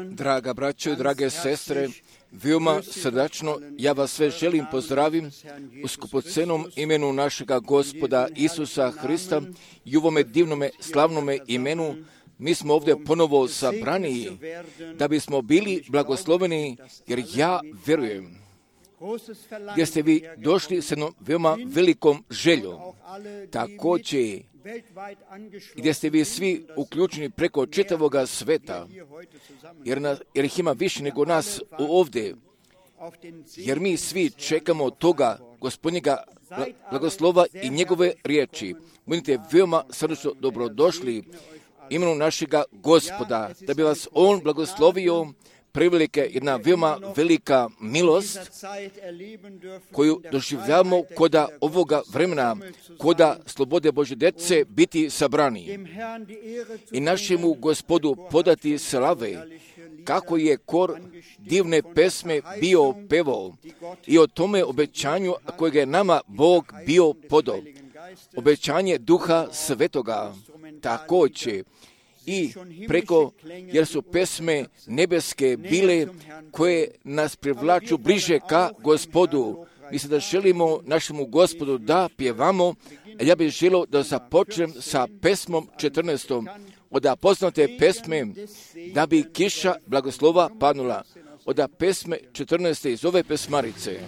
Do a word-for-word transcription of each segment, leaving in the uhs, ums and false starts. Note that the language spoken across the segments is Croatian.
Draga braćo i drage sestre, veoma srdačno ja vas sve želim pozdravim u skupocenom imenu našega Gospoda Isusa Hrista i u ovome divnome slavnome imenu. Mi smo ovdje ponovo sabrani da bismo bili blagosloveni, jer ja vjerujem gdje ste vi došli s jednom veoma velikom željom, također gdje ste vi svi uključeni preko čitavoga sveta, jer, nas, jer ih ima više nego nas ovdje, jer mi svi čekamo toga Gospodnjega blagoslova i njegove riječi. Budite veoma srdečno dobrodošli imenu našega Gospoda, da bi vas On blagoslovio. Prevelike jedna veoma velika milost koju doživljavamo koda ovoga vremena, koda slobode Božje djece biti sabrani i našemu Gospodu podati slave, kako je kor divne pesme bio pevao i o tome obećanju kojeg je nama Bog bio podao, obećanje Duha Svetoga također. I preko, jer su pesme nebeske bile koje nas privlaču bliže ka Gospodu. Mi se da želimo našemu Gospodu da pjevamo, a ja bih želio da započnem sa pesmom četrnaestom od poznate pesme da bi kiša blagoslova padnula. Od pesme četrnaeste iz ove pesmarice.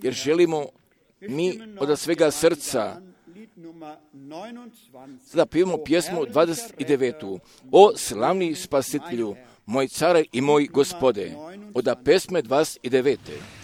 jer želimo mi od svega srca sada pijemo pjesmu dvadeset devetu. O slavni spasitelju, moj care i moj gospode, od pesme dvadeset devete.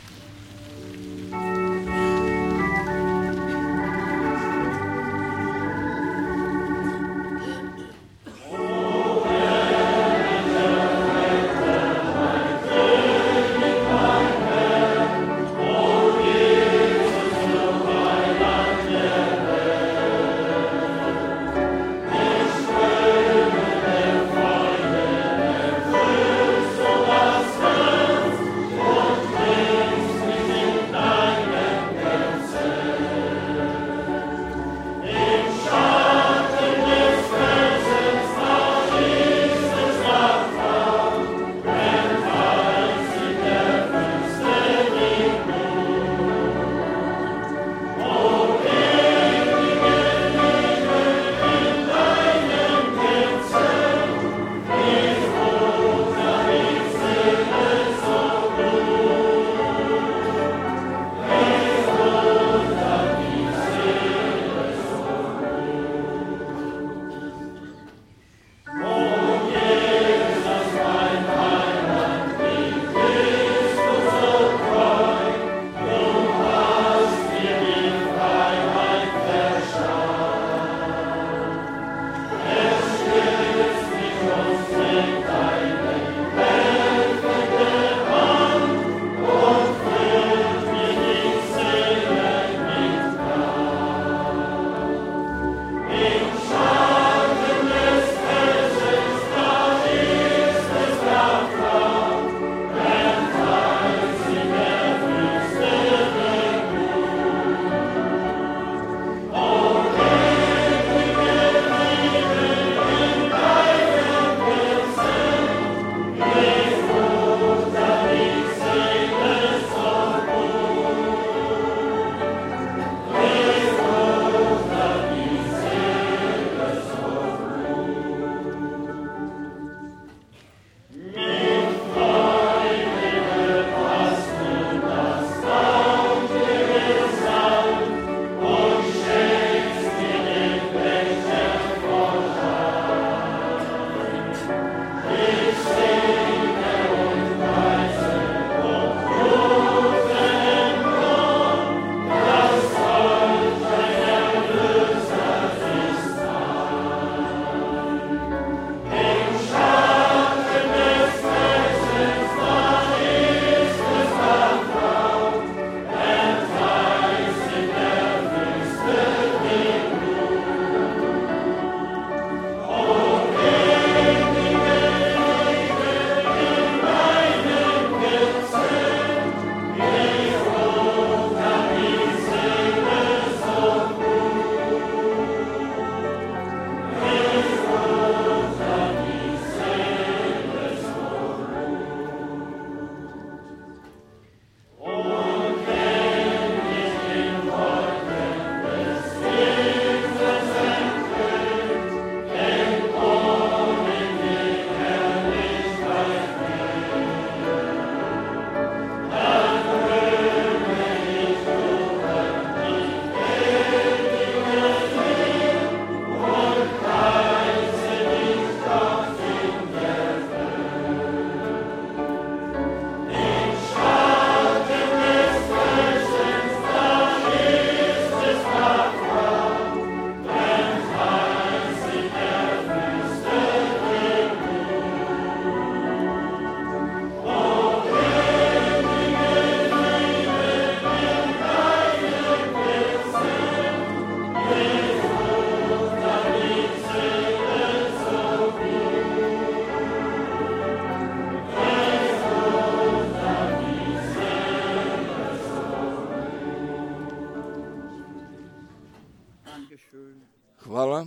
Hvala.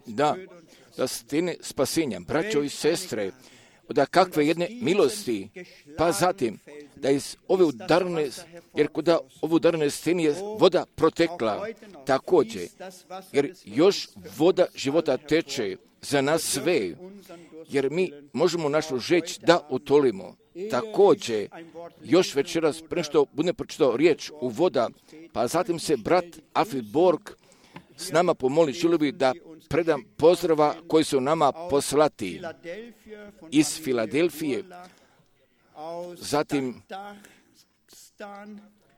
Da, da stene spasenja, braćo i sestre, da kakve jedne milosti, pa zatim da iz ove udarne, jer kuda ove udarne stene je voda protekla također, jer još voda života teče za nas sve, jer mi možemo našu žeć da utolimo. također još večeras pre što budem pročitao riječ uvoda, pa zatim se brat Alfred Borg s nama pomoli, želio bi da predam pozdrava koji su nama poslati iz Filadelfije, zatim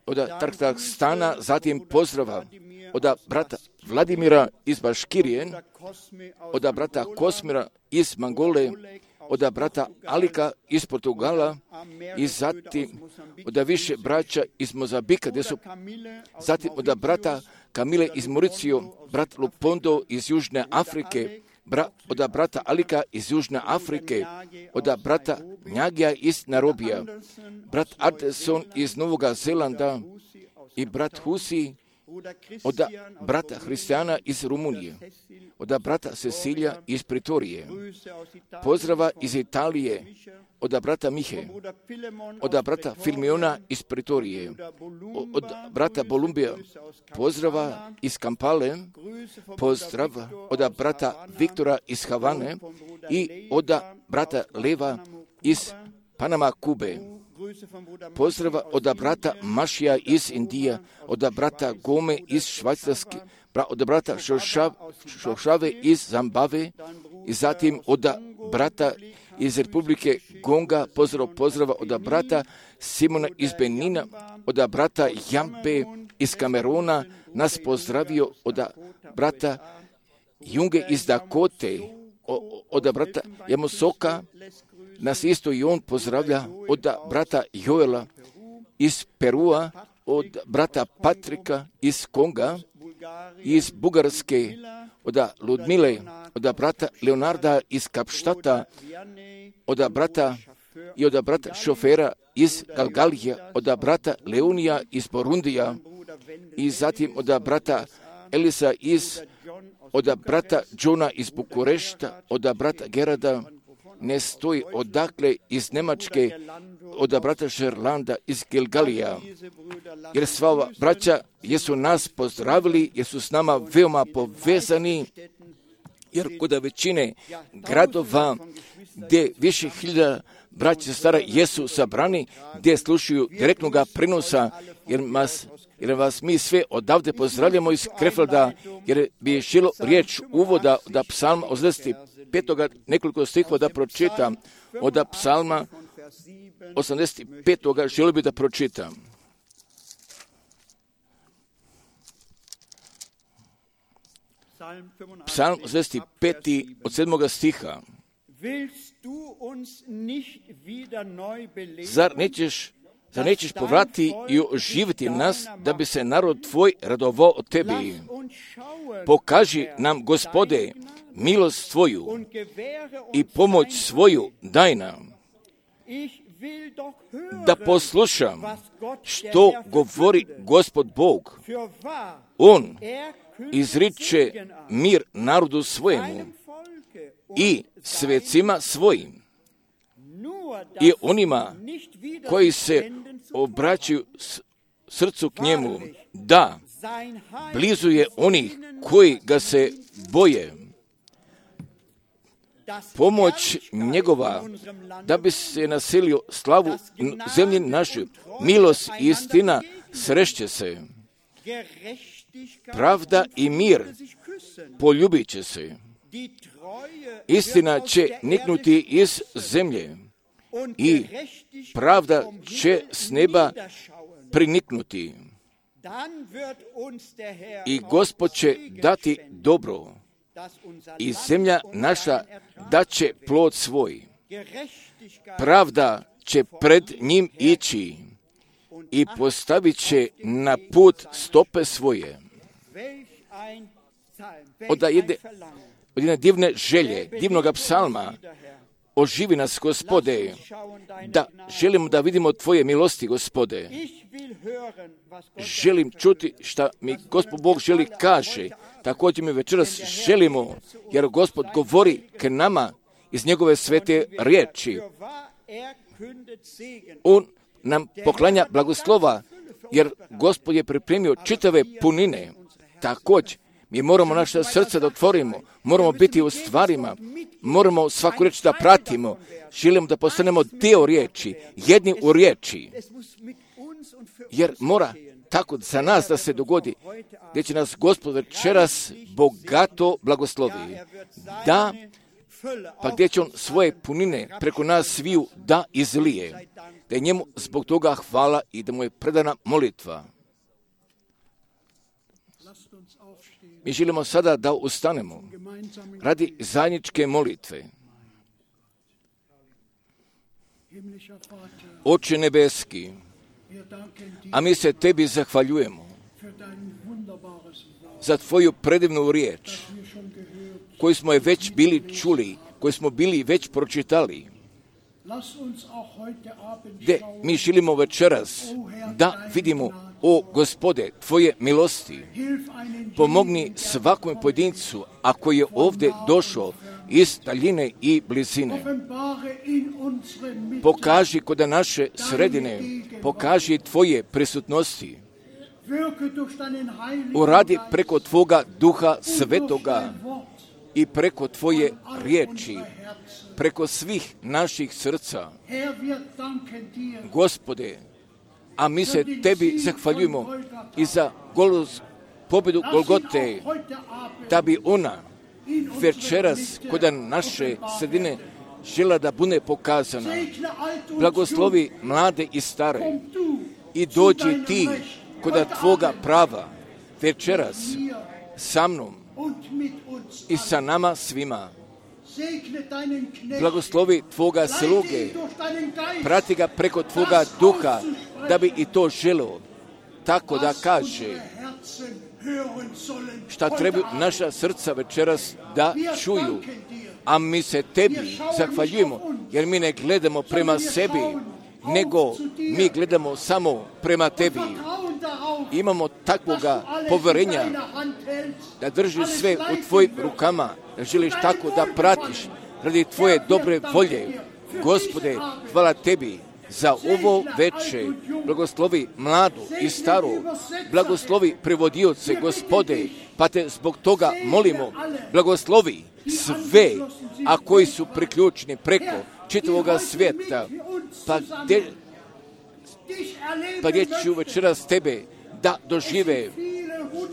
od Tarkstana, zatim pozdrava od brata Vladimira iz Baškirije, od brata Kosmira iz Mangole, od brata Alika iz Portugala i zatim od više braća iz Mozambika, gdje su, zatim od brata Kamile iz Mauricio, brat Lupondo iz Južne Afrike, bra, od brata Alika iz Južne Afrike, od brata Njagija iz Narobija, brat Anderson iz Novog Zelanda i brat Husi od brata Hristijana iz Rumunije, od brata Cecilija iz Pritorije, pozdrava iz Italije, od brata Mihe, od brata Filmiona iz Pritorije, od brata Bolumbija, pozdrava iz Kampale, pozdrava od brata Viktora iz Havane i od brata Leva iz Panama, Kube. Pozdrava od brata Mašija iz Indije, od brata Gome iz Švajcarske, od brata Šošave iz Zambave i zatim od brata iz Republike Gonga, pozdrav, pozdrava od brata Simona iz Benina, od brata Jampe iz Kamerona, nas pozdravio od brata Junge iz Dakote, od brata Jamosoka, nas isto i on pozdravlja od brata Joela iz Perua, od brata Patrika iz Konga, iz Bugarske, od Ludmile, od brata Leonarda iz Kapštata, od brata i od brata šofera iz Galgalija, od brata Leonija iz Borundija i zatim od brata Elisa iz, od brata Johna iz Bukurešta, od brata Gerada, ne stoji odakle iz Njemačke, od brata Šerlanda iz Gilgalija. Jer sva ova braća jesu nas pozdravili, jer su s nama veoma povezani, jer kod većine gradova gdje više hiljada braća stara jesu sabrani, gdje slušaju direktnog prenosa, jer vas, jer vas mi sve odavde pozdravljamo iz Krefelda, jer bi šilo riječ uvoda da psalma osamdeset petoga nekoliko stihova da pročitam, od psalma osamdeset petoga želio bi da pročitam. Psalm osamdeset pet od sedmoga stiha. Zar nećeš, zar nećeš povrati i oživiti nas, da bi se narod tvoj radovao od tebi? Pokaži nam, Gospode, milost tvoju i pomoć svoju daj nam, da poslušam što govori Gospod Bog. On izriče mir narodu svojemu i svecima svojim i onima koji se obraćaju srcu k njemu. Da, blizu je onih koji ga se boje. Pomoć njegova, da bi se naselio slavu zemlji našoj. Milost i istina srešće se. Pravda i mir poljubit će se. Istina će niknuti iz zemlje i pravda će s neba priniknuti. I Gospod će dati dobro i zemlja naša daće plod svoj. Pravda će pred njim ići i postavit će na put stope svoje. Od jedne, od jedne divne želje, divnog psalma, oživi nas, Gospode, da želimo da vidimo Tvoje milosti, Gospode. Želim čuti šta mi Gospod Bog želi kaže. Također mi večeras želimo, jer Gospod govori k nama iz njegove svete riječi. On nam poklanja blagoslova, jer Gospod je pripremio čitave punine. Također Mi moramo naše srce da otvorimo, moramo biti u stvarima, moramo svaku riječ da pratimo, želimo da postanemo dio riječi, jedni u riječi, jer mora tako za nas da se dogodi, gdje će nas Gospod večeras bogato blagoslovi. Da, pa gdje će on svoje punine preko nas sviju da izlije, da je njemu zbog toga hvala i da mu je predana molitva. Mi želimo sada da ustanemo radi zajedničke molitve. Oče nebeski, a mi se tebi zahvaljujemo za tvoju predivnu riječ, koju smo je već bili čuli, koju smo bili već pročitali, gdje mi želimo večeras da vidimo, o Gospode, tvoje milosti. Pomogni svakom pojedincu, ako je ovdje došao iz daljine i blizine. Pokaži kod naše sredine, pokaži tvoje prisutnosti. Uradi preko tvoga Duha Svetoga i preko tvoje riječi, preko svih naših srca. Gospode, a mi se tebi zahvaljujemo i za Golos, pobjedu Golgote, da bi ona večeras kod naše sredine žela da bude pokazana. Blagoslovi mlade i stare i dođi ti kod tvoga prava večeras sa mnom i sa nama svima. Blagoslovi tvoga sluge, prati ga preko tvoga duha, da bi i to želo, tako da kaže šta treba naša srca večeras da čuju. A mi se tebi zahvaljujemo, jer mi ne gledamo prema sebi, nego mi gledamo samo prema tebi. Imamo takvoga poverenja da držiš sve u tvojim rukama, da želiš tako da pratiš radi tvoje dobre volje. Gospode, hvala tebi za ovo veče. Blagoslovi mladu i staru, blagoslovi prevodioce, Gospode, pa te zbog toga molimo, blagoslovi sve, a koji su priključeni preko čitavoga svijeta, pa gdje, pa gdje ću večeras tebe da dožive,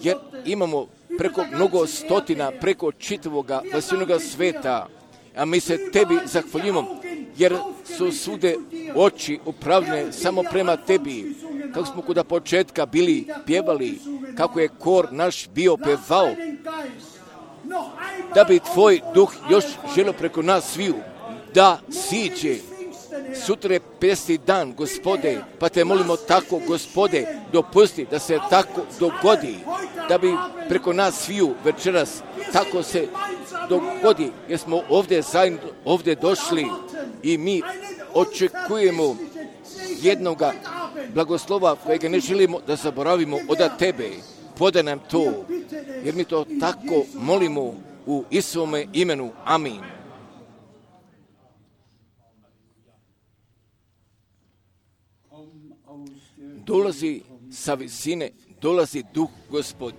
jer imamo preko mnogo stotina, preko čitavoga vasivnoga sveta, a mi se tebi zahvaljujemo, jer su svude oči upravljene samo prema tebi, kako smo kuda početka bili pjevali, kako je kor naš bio pevao, da bi tvoj duh još želio preko nas sviju da siđe. Sutra je pedeset dan, Gospode, pa te molimo tako, Gospode, dopusti da se tako dogodi, da bi preko nas sviju večeras tako se dogodi, jer smo ovdje zajedno, ovdje došli i mi očekujemo jednoga blagoslova kojega ne želimo da zaboravimo od tebe. Podaj nam to, jer mi to tako molimo u Isuvome imenu. Amin. Dolazi sa visine, dolazi Duh Gospod.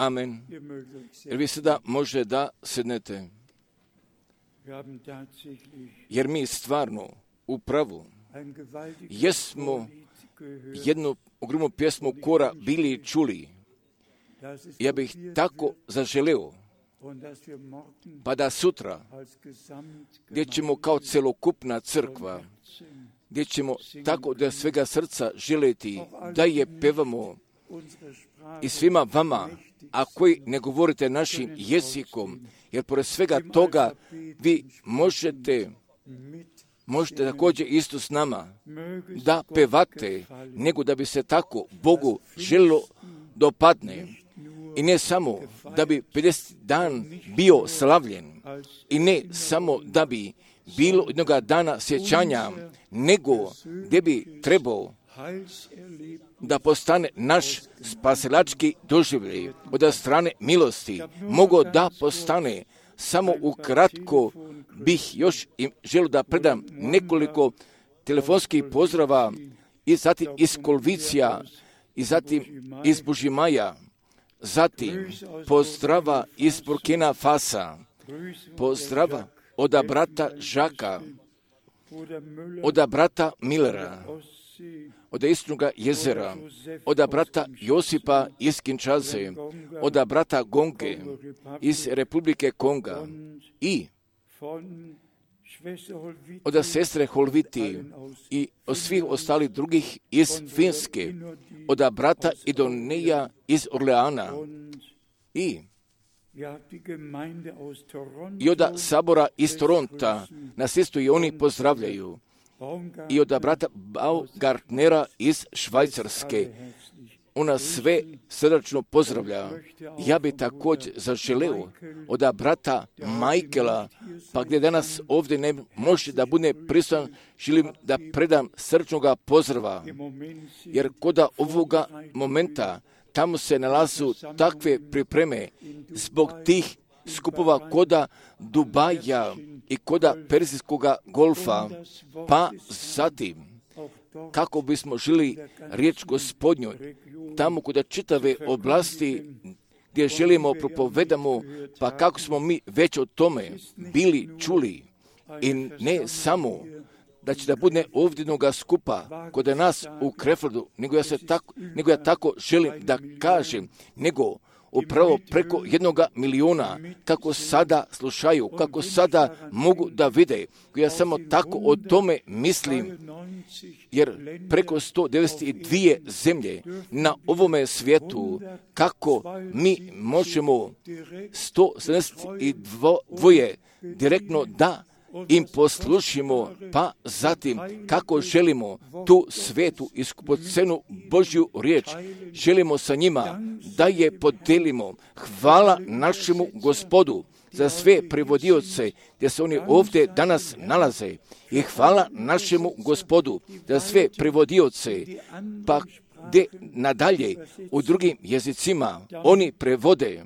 Amen. Jer vi sada može da sednete. Jer mi stvarno u pravu jesmo jednu ogromnu pjesmu kora bili čuli. Ja bih tako zaželeo, pa da sutra, gdje ćemo kao celokupna crkva, gdje ćemo tako da svega srca želeti da je pevamo i svima vama, a koji ne govorite našim jezikom, jer pored svega toga vi možete, možete također isto s nama da pevate, nego da bi se tako Bogu želilo dopadne. I ne samo da bi pedeset dan bio slavljen, i ne samo da bi bilo jednoga dana sjećanja, nego gdje bi trebao da postane naš spasilački doživljaj od strane milosti, mogo da postane. Samo ukratko bih još im želio da predam nekoliko telefonskih pozdrava i zatim iz Kolvicija i zatim iz Bužimaja, zatim pozdrava iz Burkina Fasa, pozdrava od brata Žaka, od brata Millera, od Istočnoga jezera, od brata Josipa iz Kinshase, od brata Gonge iz Republike Konga i od sestre Holviti i od svih ostalih drugih iz Finske, od brata Idoneja iz Orleana i i od sabora iz Toronta nas isto i oni pozdravljaju. I od brata Baumgartnera iz Švajcarske. Ona sve srdačno pozdravlja. Ja bi također zaželeo od brata Michaela, pa gdje danas ovdje ne može da bude prisutan, želim da predam srčnoga pozdrava. Jer kod ovoga momenta tamo se nalazu takve pripreme zbog tih skupova koda Dubaja i koda Perzijskoga golfa, pa zatim kako bismo želi riječ Gospodnjoj tamo kod čitave oblasti gdje želimo propovedamo, pa kako smo mi već o tome bili čuli i ne samo da će da bude ovdje jednoga skupa kod nas u Krefeldu, nego ja, se tako, nego ja tako želim da kažem, nego upravo preko jednoga miliona, kako sada slušaju, kako sada mogu da vide. Ja samo tako o tome mislim, jer preko sto devedeset dvije zemlje na ovome svijetu, kako mi možemo sto sedamdeset dvoje direktno da im poslušimo, pa zatim kako želimo tu svetu i skupocenu Božju riječ, želimo sa njima da je podelimo. Hvala našemu Gospodu za sve prevodioce gdje se oni ovdje danas nalaze i hvala našemu Gospodu za sve prevodioce, pa gdje nadalje u drugim jezicima oni prevode,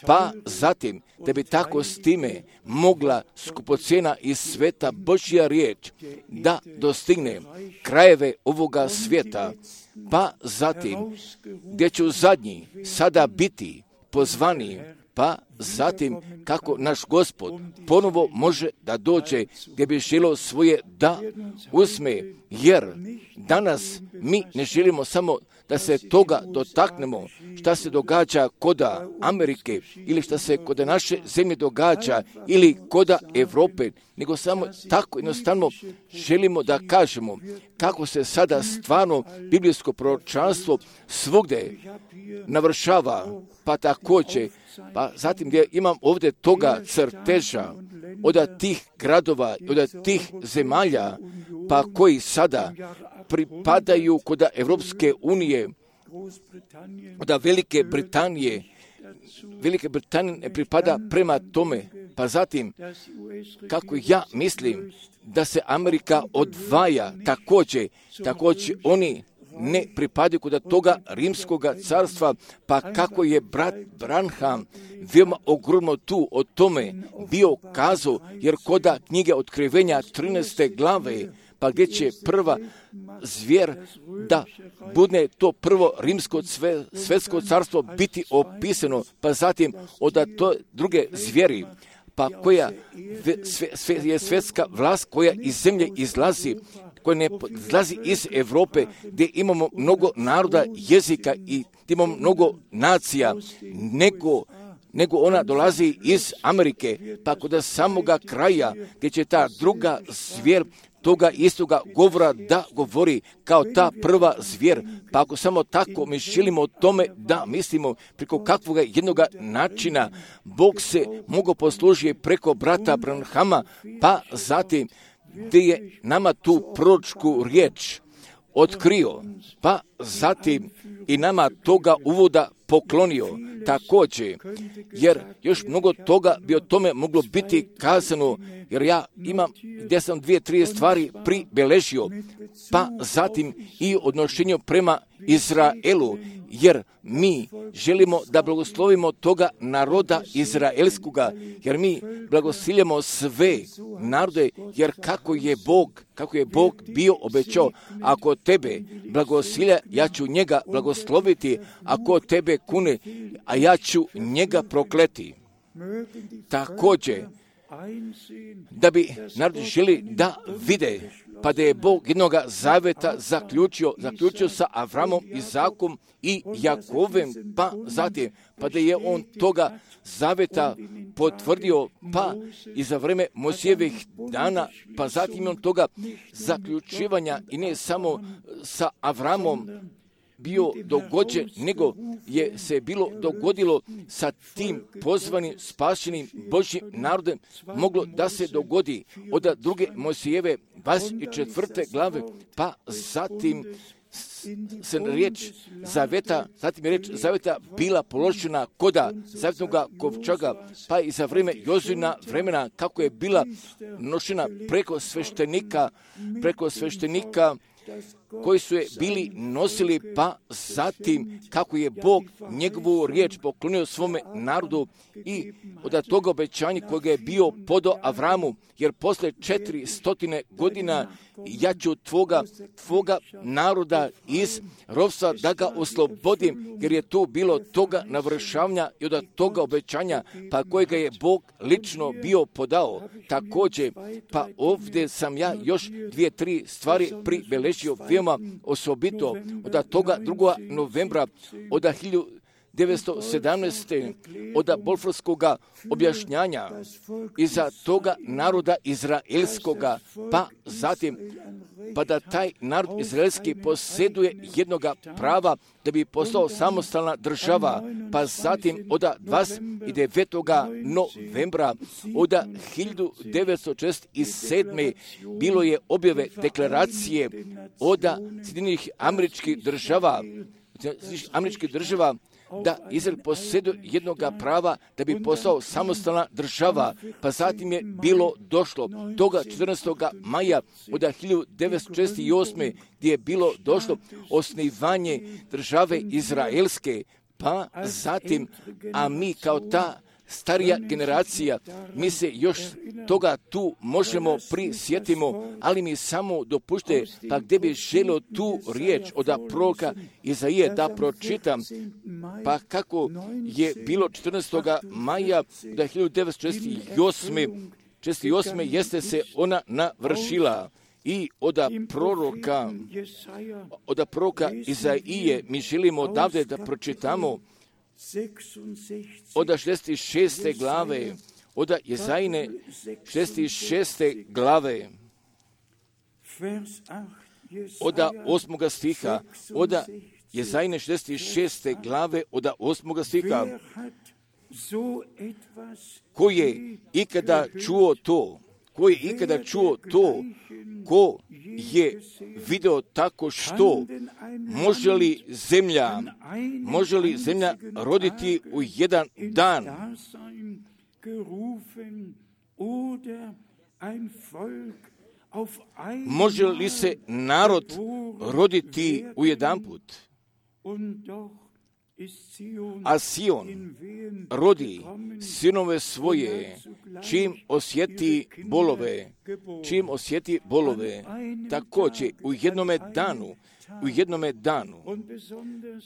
pa zatim da bi tako s time mogla skupocjena iz sveta Božja riječ da dostigne krajeve ovoga svijeta, pa zatim gdje će u zadnji sada biti pozvani, pa zatim kako naš Gospod ponovo može da dođe gdje bi želio svoje da uzme, jer danas mi ne želimo samo da se toga dotaknemo šta se događa kod Amerike ili šta se kod naše zemlje događa ili kod Europe, nego samo tako jednostavno želimo da kažemo kako se sada stvarno biblijsko proročanstvo svugdje navršava, pa također, pa zatim gdje imam ovdje toga crteža od tih gradova, od tih zemalja, pa koji sada pripadaju kod Evropske unije, od Velike Britanije. Velike Britanije ne pripada prema tome, pa zatim kako ja mislim da se Amerika odvaja također, također oni ne pripadaju kod toga rimskoga carstva, pa kako je brat Branham veoma ogromno tu o tome bio kazao, jer koda knjige Otkrivenja trinaeste glave, pa gdje će prva zvijer da bude to prvo rimsko sve, svetsko carstvo biti opisano, pa zatim od to druge zvijeri, pa koja sve, sve je svetska vlast koja iz zemlje izlazi, koja ne izlazi iz Europe, gdje imamo mnogo naroda, jezika i imamo mnogo nacija, nego nego ona dolazi iz Amerike, pa kod samoga kraja, gdje će ta druga zvijer toga istoga govora da govori kao ta prva zvijer. Pa ako samo tako mi želimo o tome da mislimo preko kakvog jednoga načina Bog se mogao poslužiti preko brata Branhama, pa zatim gdje je nama tu proročku riječ otkrio, pa zatim i nama toga uvoda poklonio također, jer još mnogo toga bi o tome moglo biti kazano, jer ja imam gdje sam dvije, tri stvari pribeležio, pa zatim i odnošenju prema Izraelu, jer mi želimo da blagoslovimo toga naroda izraelskoga, jer mi blagosiljamo sve narode, jer kako je Bog, kako je Bog bio obećao, ako tebe blagosilja, ja ću njega blagosloviti, ako tebe kune, a ja ću njega prokleti. Također, da bi narod želi da vide, pa da je Bog jednoga zaveta zaključio, zaključio sa Avramom, Izakom i Jakovem, pa zatim, pa da je on toga zaveta potvrdio, pa i za vreme Mojsijevih dana, pa zatim on toga zaključivanja i ne samo sa Avramom bio dogođen, nego je se bilo dogodilo sa tim pozvanim, spašenim Božjim narodom, moglo da se dogodi od druge Mojsijeve dvadeset četvrte glave, pa zatim se riječ zaveta, zatim je riječ zaveta bila položena koda zavetnoga kovčaga, pa i za vrijeme Jozina vremena kako je bila nošena preko sveštenika, preko sveštenika koji su je bili nosili, pa zatim kako je Bog njegovu riječ poklonio svome narodu i od toga obećanja kojega je bio podo Avramu, jer posle četiri stotine godina ja ću tvoga, tvoga naroda iz ropstva da ga oslobodim, jer je tu bilo toga navršavanja i od toga obećanja, pa kojega je Bog lično bio podao. Također, pa ovdje sam ja još dvije, tri stvari pribeležio veoma osobito od toga drugog novembra od hiljadu devetsto sedamnaeste od Bolforskog objašnjanja iza toga naroda izraelskoga, pa zatim pa da taj narod izraelski posjeduje jednoga prava da bi postao samostalna država, pa zatim od dvadeset devetog novembra od hiljadu devetsto četrdeset sedme bilo je objave deklaracije od Sjedinjenih Američkih država, Američkih država da Izrael posjeduje jednoga prava da bi postao samostalna država, pa zatim je bilo došlo toga četrnaestog maja od hiljadu devetsto četrdeset osme gdje je bilo došlo osnivanje države izraelske, pa zatim, a mi kao ta starija generacija, mi se još toga tu možemo prisjetimo, ali mi samo dopušte, pa gdje bi želio tu riječ od proroka Izaije da pročitam, pa kako je bilo četrnaestog maja do hiljadu devetsto četrdeset osme, četrdeset osme jeste se ona navršila. I od proroka, od proroka Izaije mi želimo odavde da pročitamo od šezdeset šeste glave, od Jezajine šezdeset šeste glave, od osmoga stiha, od Jezajine šezdeset šeste glave, od osmoga stiha. Ko je ikada čuo to? Ko je ikada čuo to? Ko je video tako što? Može li zemlja, može li zemlja roditi u jedan dan? Može li se narod roditi u jedan put? A Sion rodi sinove svoje, čim osjeti bolove, čim osjeti bolove, također u jednome danu, u jednome danu.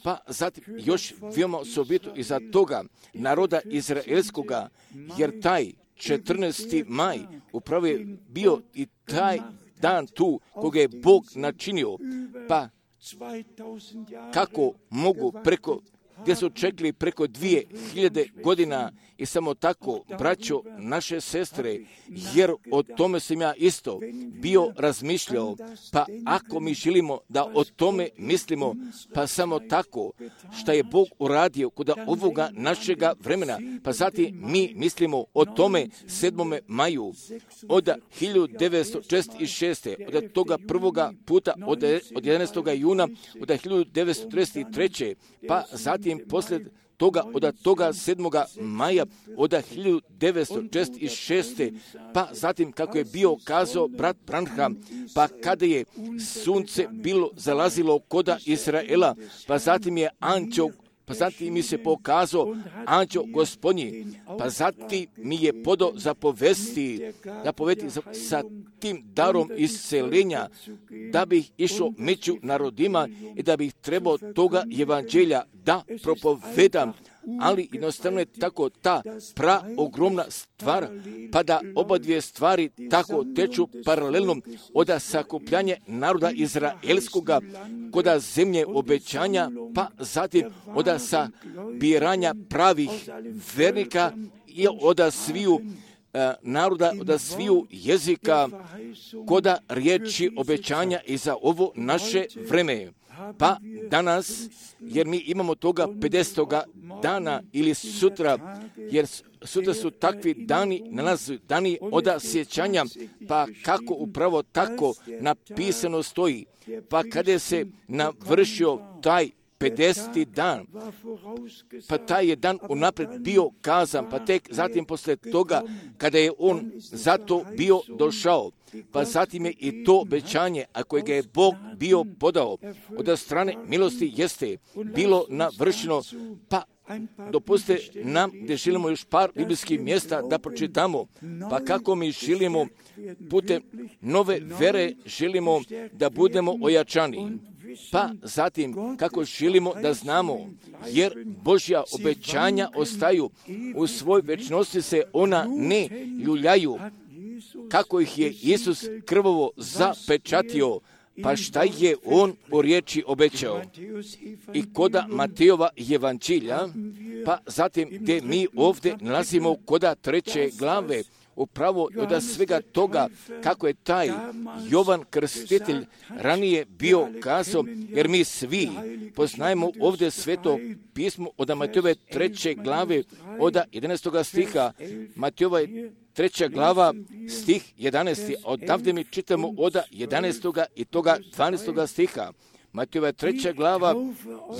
Pa zatim još veoma osobito iza toga naroda izraelskoga, jer taj četrnaesti maj upravo je bio i taj dan tu koga je Bog načinio. Pa kako mogu preko, gdje su čekali preko dvije hiljade godina i samo tako, braćo, naše sestre, jer o tome sam ja isto bio razmišljao, pa ako mi želimo da o tome mislimo, pa samo tako, šta je Bog uradio kod ovoga našega vremena, pa zatim mi mislimo o tome sedmome maju, od hiljadu devetsto četrdeset šeste. od toga prvoga puta, od, od jedanaestog juna, od hiljadu devetsto trideset treće. pa zatim poslije toga, od toga sedmoga maja, od hiljadu devetsto četrdeset šeste. pa zatim kako je bio kazao brat Branham, pa kada je sunce bilo zalazilo koda Izraela, pa zatim je anđeo, pa zatim mi se pokazao anđeo Gospodnji, pa zatim mi je podao zapovesti, zapovesti sa tim darom iscelenja, da bih išao među narodima i da bih trebao toga evanđelja da propovedam. Ali jednostavno je tako ta pra ogromna stvar, pa da oba dvije stvari tako teču paralelno od sakupljanja naroda izraelskoga koda zemlje obećanja, pa zatim od sabiranja pravih vernika i od sviju naroda, od sviju jezika koda riječi obećanja i za ovo naše vreme. Pa danas, jer mi imamo toga pedesetoga dana ili sutra, jer sutra su takvi dani, nalazu dani od sjećanja, pa kako upravo tako napisano stoji, pa kada se navršio taj pedeseti dan, pa taj je dan unaprijed bio kazan, pa tek zatim posle toga, kada je on zato bio došao, pa zatim je i to obećanje, a koje ga je Bog bio podao od strane milosti, jeste bilo navršeno. Pa dopustite nam da želimo još par biblijskih mjesta da pročitamo, pa kako mi želimo putem nove vere želimo da budemo ojačani. Pa zatim kako želimo da znamo, jer Božja obećanja ostaju, u svoj večnosti se ona ne ljuljaju, kako ih je Isus krvavo zapečatio, pa šta je on u riječi obećao. I koda Matejova evanđelja, pa zatim gdje mi ovdje nalazimo koda treće glave, upravo od svega toga kako je taj Jovan Krstitelj ranije bio kazao, jer mi svi poznajemo ovdje sveto pismo od Matejove treće glave od jedanaestog stiha. Matejova treća glava, stih jedanaesti. Odavde mi čitamo od jedanaestog i toga dvanaestog stiha. Matejova treća glava,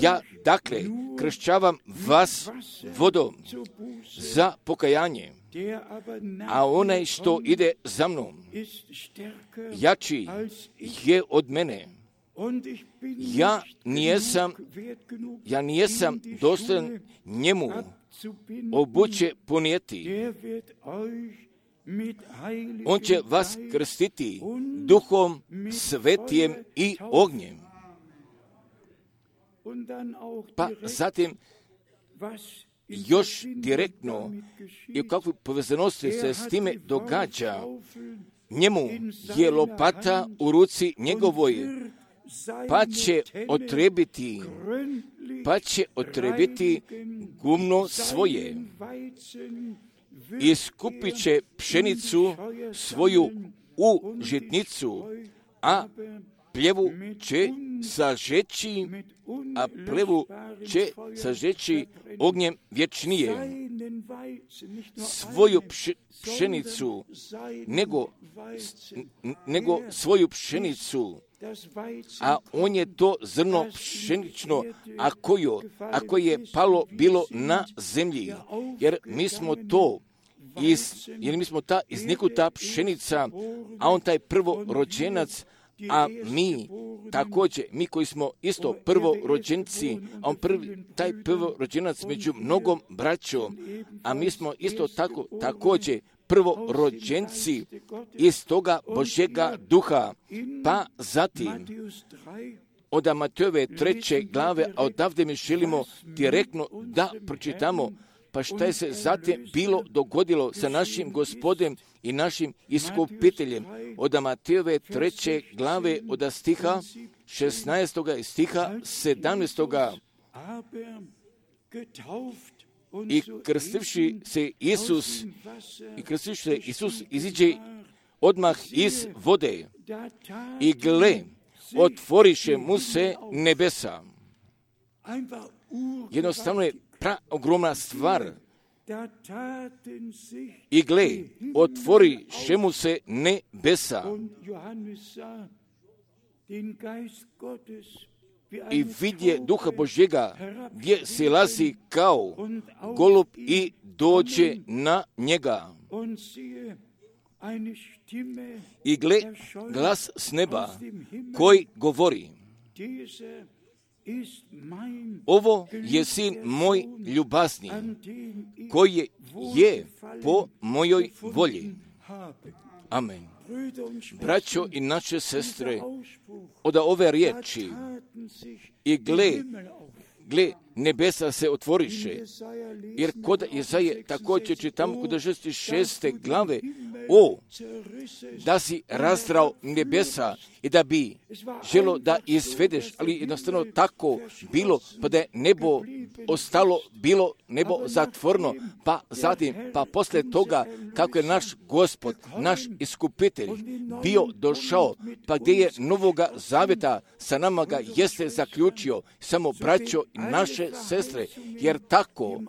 ja dakle kršćavam vas vodom za pokajanje, a onaj što ide za mnom, jači je od mene. Ja nijesam, ja nijesam dostojan njemu obuće ponijeti. On će vas krstiti duhom svetijem i ognjem. Pa zatim još direktno i u kakvoj povezanosti se s time događa, njemu je lopata u ruci njegovoj, pa će otrebiti, pa će otrebiti gumno svoje, iskupit će pšenicu svoju u žitnicu, a pljevu će sažeći, a plevu će sažeći ognjem vječnije. Svoju pšenicu, nego, nego svoju pšenicu, a on je to zrno pšenično, a kojo, a koje je palo bilo na zemlji, jer mi smo to iz, jer mi smo ta iznikuta pšenica, a on taj prvorođenac, a mi također, mi koji smo isto prvorođenci, a on prvi, taj prvorođenac među mnogom braćom, a mi smo isto tako također prvorođenci iz toga Božjega duha, pa zatim od Matejove treće glave, a odavde mi želimo direktno da pročitamo, pa šta je se zatim bilo dogodilo sa našim Gospodem i našim iskupiteljem. Od Matejove treće glave, od stiha šesnaestoga i stiha sedamnaestoga. I krstivši se Isus, i krstivši se Isus iziđe odmah iz vode i gle, otvoriše mu se nebesa. Jednostavno je pra ogromna stvar. I gle, otvoriše mu se nebesa. I vidje Duha Božjega gdje silazi kao golub i dođe na njega. I gle, glas s neba koji govori: ovo je sin moj ljubazni, koji je po mojoj volji. Amen. Braćo i naše sestre, od ove riječi i gle, gle, nebesa se otvoriše, jer kod Jesaje također čitamo kod šezdeset šeste glave, o, da si razdrao nebesa i da bi želo da izvedeš, ali jednostavno tako bilo, pa da je nebo ostalo, bilo nebo zatvorno, pa zatim, pa posle toga, kako je naš Gospod, naš iskupitelj bio došao, pa gdje je Novoga Zaveta sa nama ga jeste zaključio, samo braćo i naše sestre, jer tako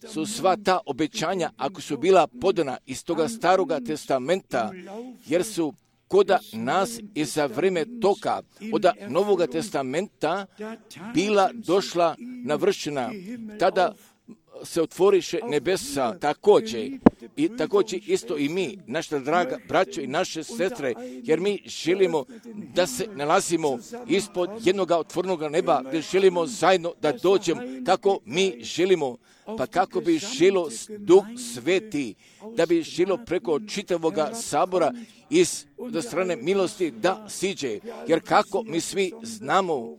su sva ta obećanja, ako su bila podana iz toga Staroga testamenta, jer su koda nas i za vreme toga od Novoga testamenta bila došla navršena, tada se otvoriše nebesa također i također isto i mi, naša draga braćo i naše sestre, jer mi želimo da se nalazimo ispod jednog otvornog neba, gdje želimo zajedno da dođemo kako mi želimo, pa kako bi želo Duh Sveti, da bi želo preko čitavoga sabora iz do strane milosti da siđe, jer kako mi svi znamo,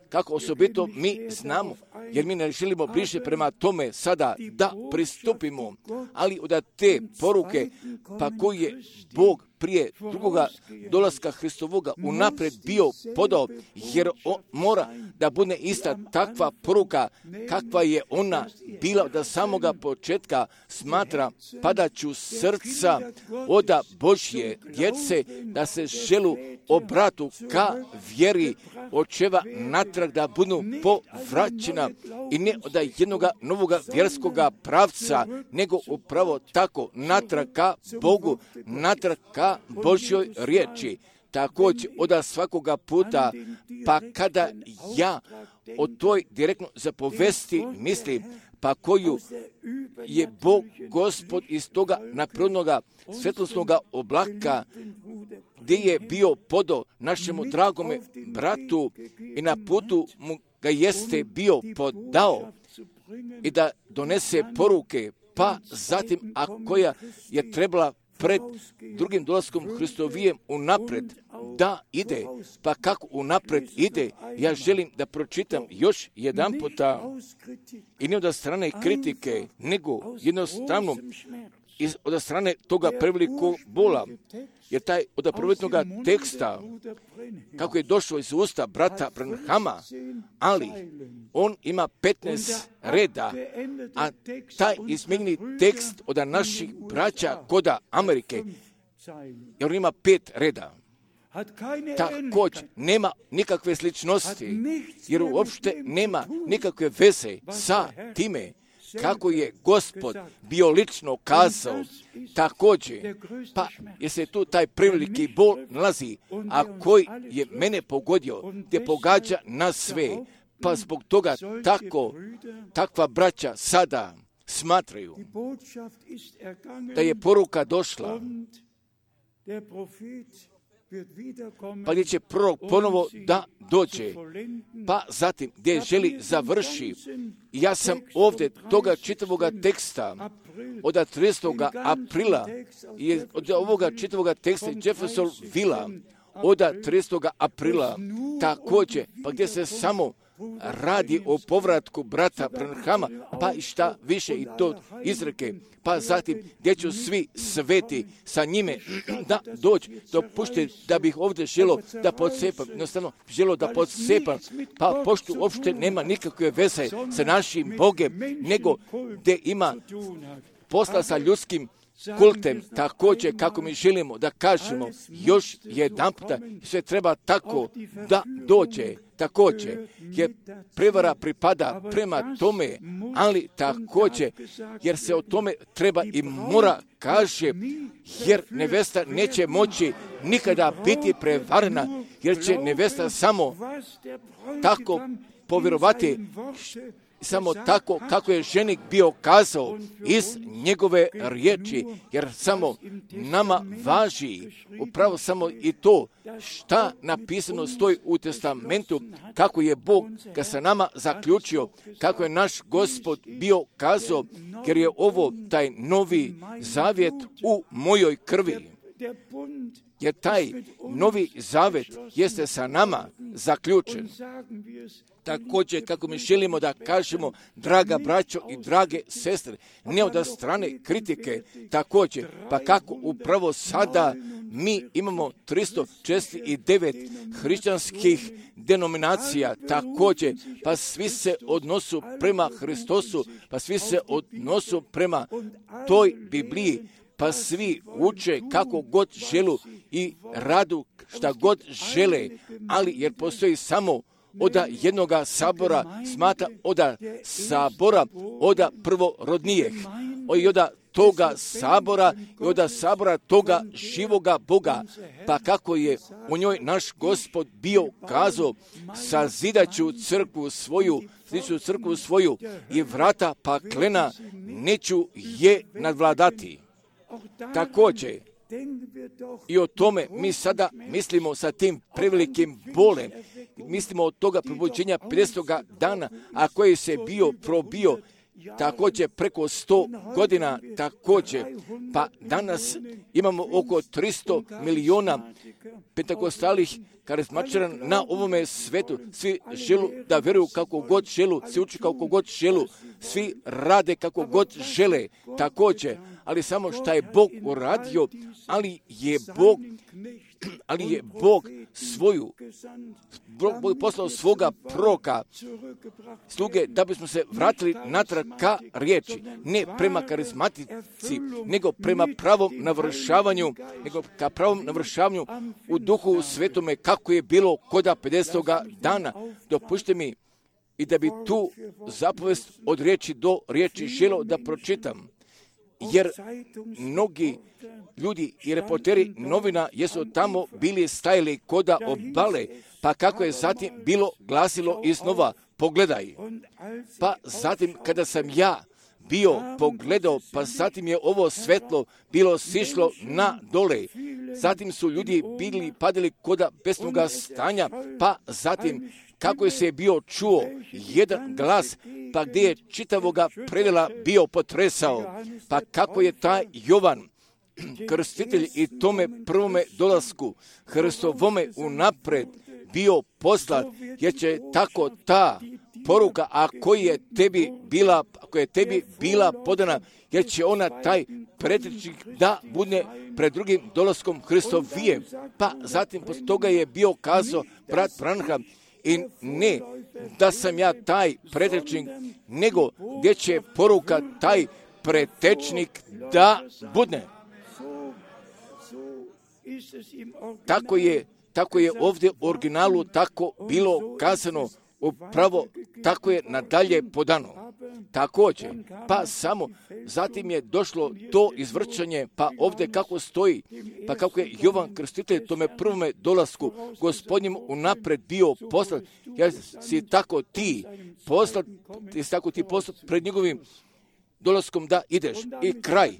kako osobito mi znamo, jer mi ne želimo bliže prema tome sada da pristupimo, ali od te poruke, pa koji je Bog prije drugoga dolaska Hristovoga unaprijed bio podao, jer on mora da bude ista takva poruka kakva je ona bila da samoga početka, smatra padaću srca od Božje djece, da se želu obratu ka vjeri očeva natrag da budu povraćena i ne od jednoga novoga vjerskoga pravca, nego upravo tako natrag ka Bogu, natrag ka Božjoj riječi. Također od svakoga puta, pa kada ja o toj direktno zapovesti mislim, pa koju je Bog Gospod iz toga naprednoga svjetlosnoga oblaka, gdje je bio podo našemu dragome bratu i na putu mu ga jeste bio podao i da donese poruke, pa zatim a koja je trebala pred drugim dolaskom Hristovijem unapred da ide, pa kako unapred ide, ja želim da pročitam još jedan puta i ne od strane kritike, nego jednostavno iz, od strane toga prevelikog bola, jer taj od prvotnog teksta, kako je došao iz usta brata Branhama, ali on ima petnaest reda, a taj izmijenjeni tekst od naših braća koda Amerike, jer on ima pet reda. Također nema nikakve sličnosti, jer uopšte nema nikakve veze sa time kako je Gospod bio lično kazao. Također, pa je se tu taj preveliki bol nalazi, a koji je mene pogodio, gdje pogađa nas sve, pa zbog toga tako, takva braća sada smatraju da je poruka došla pa gdje će prorok ponovo da dođe, pa zatim gdje želi završi. Ja sam ovdje toga čitavoga teksta od tridesetog aprila i od ovoga čitavoga teksta Jeffersonvilla od tridesetog aprila također, pa gdje se samo radi o povratku brata Branhama, pa i šta više i to izreke, pa zatim gdje ću svi sveti sa njime da dođu. Dopušte da bih ovdje želo da podsepam, jednostavno želo da podsepam, pa pošto uopšte nema nikakve veze sa našim Bogem, nego gdje ima posla sa ljudskim kultem, također kako mi želimo da kažemo još jedan puta, sve treba tako da dođe, također, jer prevara pripada prema tome, ali također, jer se o tome treba i mora kaže, jer nevesta neće moći nikada biti prevarena, jer će nevesta samo tako povjerovati, samo tako kako je ženik bio kazao iz njegove riječi, jer samo nama važi upravo samo i to šta napisano stoji u testamentu, kako je Bog ga sa nama zaključio, kako je naš Gospod bio kazao, jer je ovo taj novi zavjet u mojoj krvi. Jer taj novi zavjet jeste sa nama zaključen. Također, kako mi želimo da kažemo, draga braćo i drage sestre, ne od strane kritike, također, pa kako upravo sada mi imamo tristo četrdeset devet hrišćanskih denominacija, također, pa svi se odnosu prema Hristosu, pa svi se odnosu prema toj Bibliji, pa svi uče kako god želu i radu šta god žele, ali jer postoji samo oda jednoga sabora, smatra oda sabora, oda prvorodnijeh, i oda toga sabora i oda sabora toga živoga Boga, pa kako je u njoj naš Gospod bio kazao, sazidaću crkvu svoju, sazidaću crkvu svoju i vrata paklena neću je nadvladati. Također, i o tome mi sada mislimo sa tim prevelikim bolem. Mislimo od toga probuđenja pedesetoga dana, a koji se bio probio također preko sto godina također. Pa danas imamo oko tristo miliona pentakostalih karizmatičara na ovome svetu. Svi želu da vjeruju kako god želu, svi uči kako god želu, svi rade kako god žele također. Ali samo šta je Bog uradio, ali je Bog, ali je Bog svoju, Bog je poslao svoga proroka, sluge, da bismo se vratili natrag ka riječi, ne prema karizmatici, nego prema pravom navršavanju, nego ka pravom navršavanju u duhu svetome, kako je bilo koda pedesetoga dana. Dopušte mi i da bi tu zapovest od riječi do riječi želo da pročitam. Jer mnogi ljudi i reporteri novina jesu tamo bili stajali koda obale, pa kako je zatim bilo glasilo iznova, pogledaj. Pa zatim kada sam ja bio pogledao, pa zatim je ovo svetlo bilo sišlo na dole. Zatim su ljudi bili padali koda besnoga stanja, pa zatim kako je se bio čuo jedan glas, pa gdje je čitavoga predela bio potresao, pa kako je taj Jovan, krstitelj i tome prvome dolasku Hristovome unapred bio poslat, jer će tako ta poruka, a koji je tebi bila, ako je tebi bila podana, jer će ona taj pretričnik da bude pred drugim dolaskom Hristovije. Pa zatim poslije toga je bio kazao brat Branham, i ne da sam ja taj pretečnik, nego gdje će poruka taj pretečnik da budne. Tako je, tako je ovdje u originalu tako bilo kazano, upravo tako je nadalje podano. Također, pa samo zatim je došlo to izvrćanje, pa ovdje kako stoji, pa kako je Jovan Krstitelj tome prvome dolasku Gospodnjem unapred bio poslat, jer si tako ti poslat, si tako ti poslat pred njegovim dolaskom da ideš i kraj.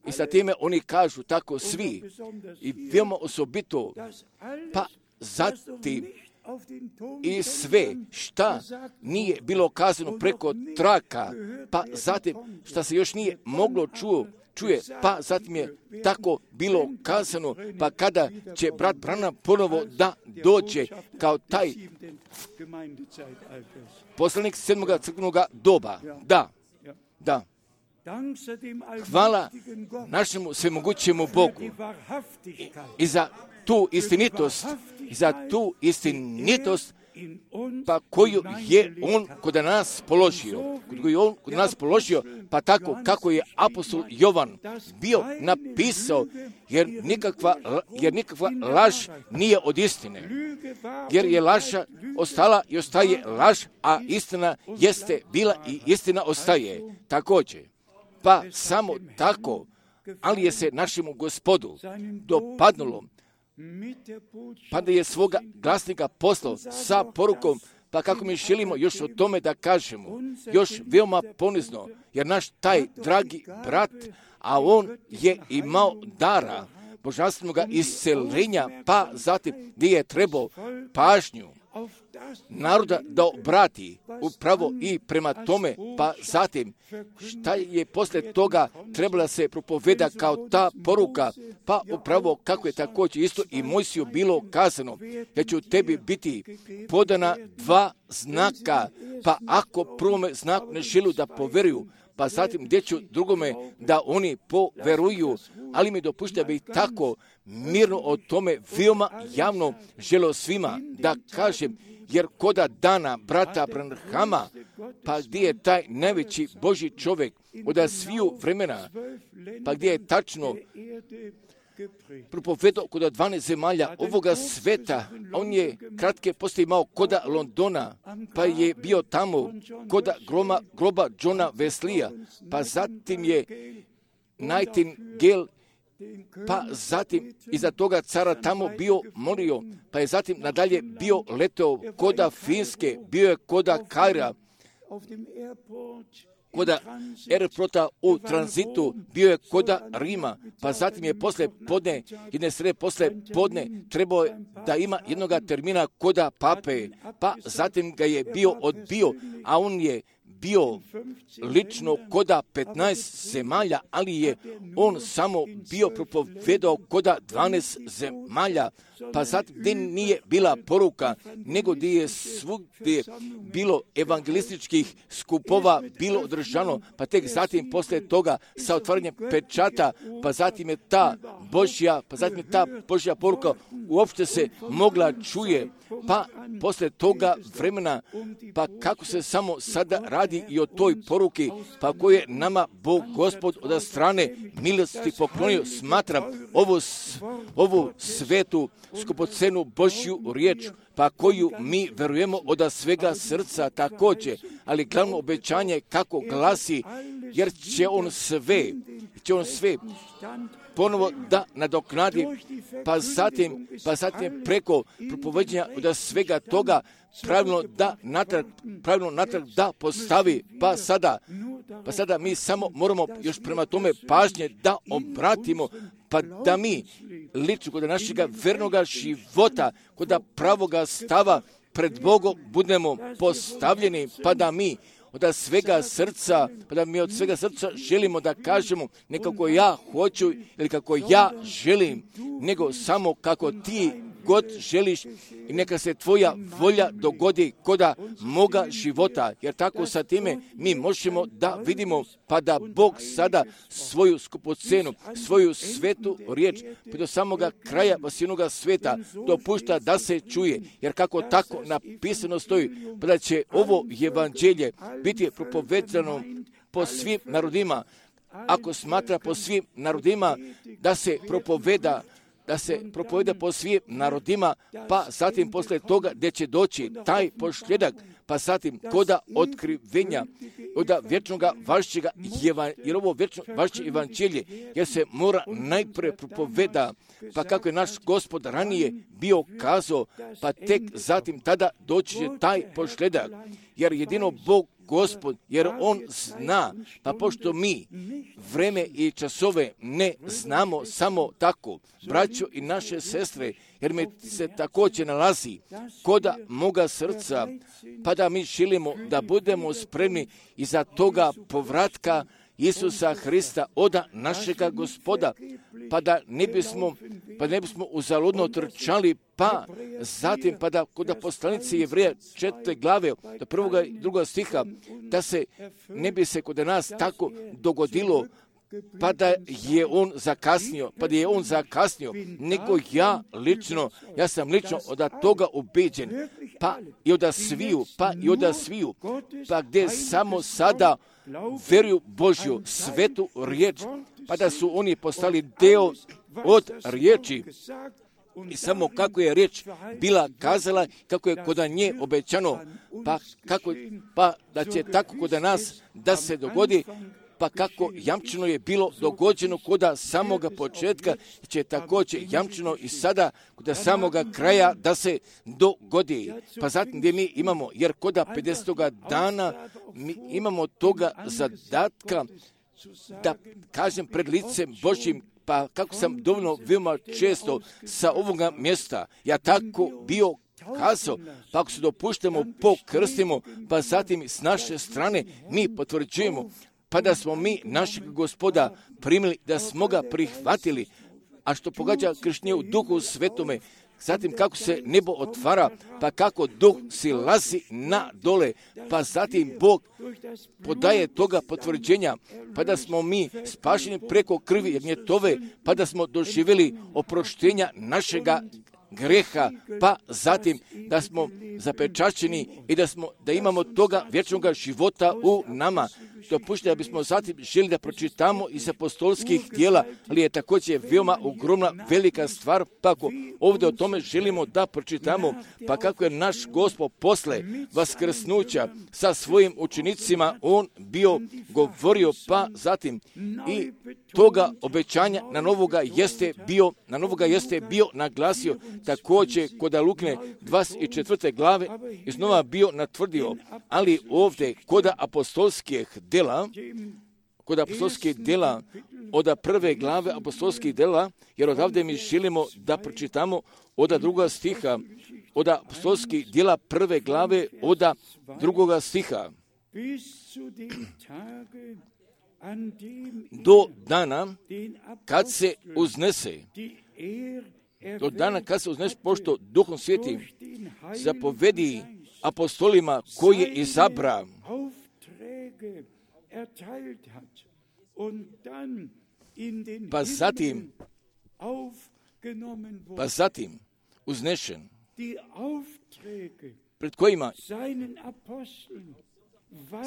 I sa time oni kažu tako svi i veoma osobito, pa zatim i sve šta nije bilo kazano preko traka, pa zatim šta se još nije moglo čuo, čuje, pa zatim je tako bilo kazano, pa kada će brat Branham ponovo da dođe kao taj poslanik sedmoga crkvenog doba. Da, da. Hvala našemu svemogućemu Bogu i, i za tu istinitost, i za tu istinitost pa koju je on kod nas položio, koju je on kod nas položio, pa tako kako je apostol Jovan bio napisao, jer nikakva, jer nikakva laž nije od istine, jer je laža ostala i ostaje laž, a istina jeste bila i istina ostaje također. Pa samo tako, ali je se našemu Gospodu dopadnulo, pa da je svoga glasnika poslao sa porukom, pa kako mi želimo još o tome da kažemo, još veoma ponizno, jer naš taj dragi brat, a on je imao dara božanstvenog iscelenja, pa zatim gdje je trebao pažnju naroda da obrati upravo i prema tome, pa zatim šta je poslije toga trebala se propoveda kao ta poruka, pa upravo kako je također isto i Mojsiju bilo kazano, da će u tebi biti podana dva znaka, pa ako prvome znaku ne želu da poveruju, pa zatim gdje ću drugome da oni poveruju, ali mi dopušta bi tako mirno o tome veoma javno želio svima da kažem, jer koda dana brata Branhama, pa gdje je taj najveći Božji čovjek od sviju vremena, pa gdje je tačno propovedao koda dvanaest zemalja ovoga sveta, on je kratke poslije imao koda Londona, pa je bio tamo koda groma, groba Johna Wesleya, pa zatim je Nightingale, pa zatim iza toga cara tamo bio molio, pa je zatim nadalje bio leteo koda Finske, bio je koda Kaira, koda aeroporta u tranzitu, bio je koda Rima, pa zatim je posle podne, jedne srede posle podne, trebao je da ima jednoga termina koda Pape, pa zatim ga je bio odbio, a on je bio lično koda petnaest zemalja, ali je on samo bio propovedao koda dvanaest zemalja, pa zatim gdje nije bila poruka, nego gdje je svugdje bilo evangelističkih skupova bilo održano, pa tek zatim poslije toga sa otvaranjem pečata, pa zatim je ta Božja, pa zatim je ta Božja poruka uopšte se mogla čuje, pa poslije toga vremena, pa kako se samo sada radi i o toj poruki, pa koje je nama Bog Gospod od strane milosti poklonio, smatram ovu, ovu svetu skupocenu Božju riječ, pa koju mi verujemo od svega srca također, ali glavno obećanje kako glasi, jer će on sve, će on sve ponovo da nadoknadi, pa zatim, pa zatim preko propoveđenja od svega toga pravilno da natrag, pravilno natrag da postavi, pa sada, pa sada mi samo moramo još prema tome pažnje da obratimo, pa da mi lično kod našega vernoga života, kod pravoga stava pred Bogom budemo postavljeni, pa da mi od svega srca, pa da mi od svega srca želimo da kažemo ne kako ja hoću ili kako ja želim, nego samo kako ti god želiš i neka se tvoja volja dogodi koda moga života, jer tako sa time mi možemo da vidimo pa da Bog sada svoju skupocenu, svoju svetu riječ pa do samoga kraja vasinoga sveta dopušta da se čuje, jer kako tako napisano stoji, pa da će ovo evanđelje biti propovedano po svim narodima, ako smatra po svim narodima da se propoveda da se propoveda po svim narodima, pa zatim posle toga gdje će doći taj posljedak, pa zatim koda otkrivenja od vječnoga vašćega, jer ovo vječno vašće evanđelje, jer se mora najprije propoveda, pa kako je naš Gospod ranije bio kazao, pa tek zatim tada doći će taj posljedak, jer jedino Bog Gospod, jer On zna, pa pošto mi vreme i časove ne znamo samo tako, braćo i naše sestre, jer mi se također nalazi koda moga srca, pa da mi želimo da budemo spremni iza toga povratka Isusa Hrista, oda našega Gospoda, pa da ne bismo, pa ne bismo uzaludno trčali, pa zatim, pa da kod poslanice Jevreja četvrte glave, do prvoga i drugoga stiha, da se ne bi se kod nas tako dogodilo, pa da je on zakasnio, pa da je on zakasnio, nego ja lično, ja sam lično od toga ubeđen, pa i od sviju, pa i od sviju, pa gdje samo sada veruju Božju svetu riječ, pa da su oni postali deo od riječi. I samo kako je riječ bila kazala, kako je kod nje obećano, pa, kako, pa da će tako kod nas da se dogodi, pa kako jamčeno je bilo dogođeno kod samoga početka, će također jamčeno i sada kod samoga kraja da se dogodi. Pa zatim gdje mi imamo, jer kod pedesetoga dana mi imamo toga zadatka da kažem pred licem Božjim, pa kako sam dovoljno veoma često sa ovoga mjesta, ja tako bio kazao, pa ako se dopuštamo, pokrstimo, pa zatim s naše strane mi potvrđujemo, pa da smo mi našeg Gospoda primili, da smo ga prihvatili, a što pogađa krštenje u Duhu Svetome, zatim kako se nebo otvara, pa kako Duh silazi na dole, pa zatim Bog podaje toga potvrđenja, pa da smo mi spašeni preko krvi jagnjetove, pa da smo doživjeli oproštenja našega greha, pa zatim da smo zapečaćeni i da smo da imamo toga vječnog života u nama. Dopušte da bismo zatim želi da pročitamo iz apostolskih djela, ali je također veoma ogromna velika stvar, pa ako ovdje o tome želimo da pročitamo, pa kako je naš Gospod posle vaskrsnuća sa svojim učenicima on bio govorio, pa zatim i toga obećanja na novoga jeste bio, na novoga jeste bio naglasio, također kod Lukine dvadeset četvrte glave iznova bio natvrdio, ali ovdje kod apostolskih djela, kod apostolskih djela, od prve glave apostolskih djela, jer odavde mi želimo da pročitamo od druga stiha, od apostolskih djela prve glave, od drugoga stiha. Do dana kad se uznese, do dana kad se uznese, pošto Duhom Svetim zapovedi apostolima koji je izabra, pa zatim, pa zatim uznešen, pred kojima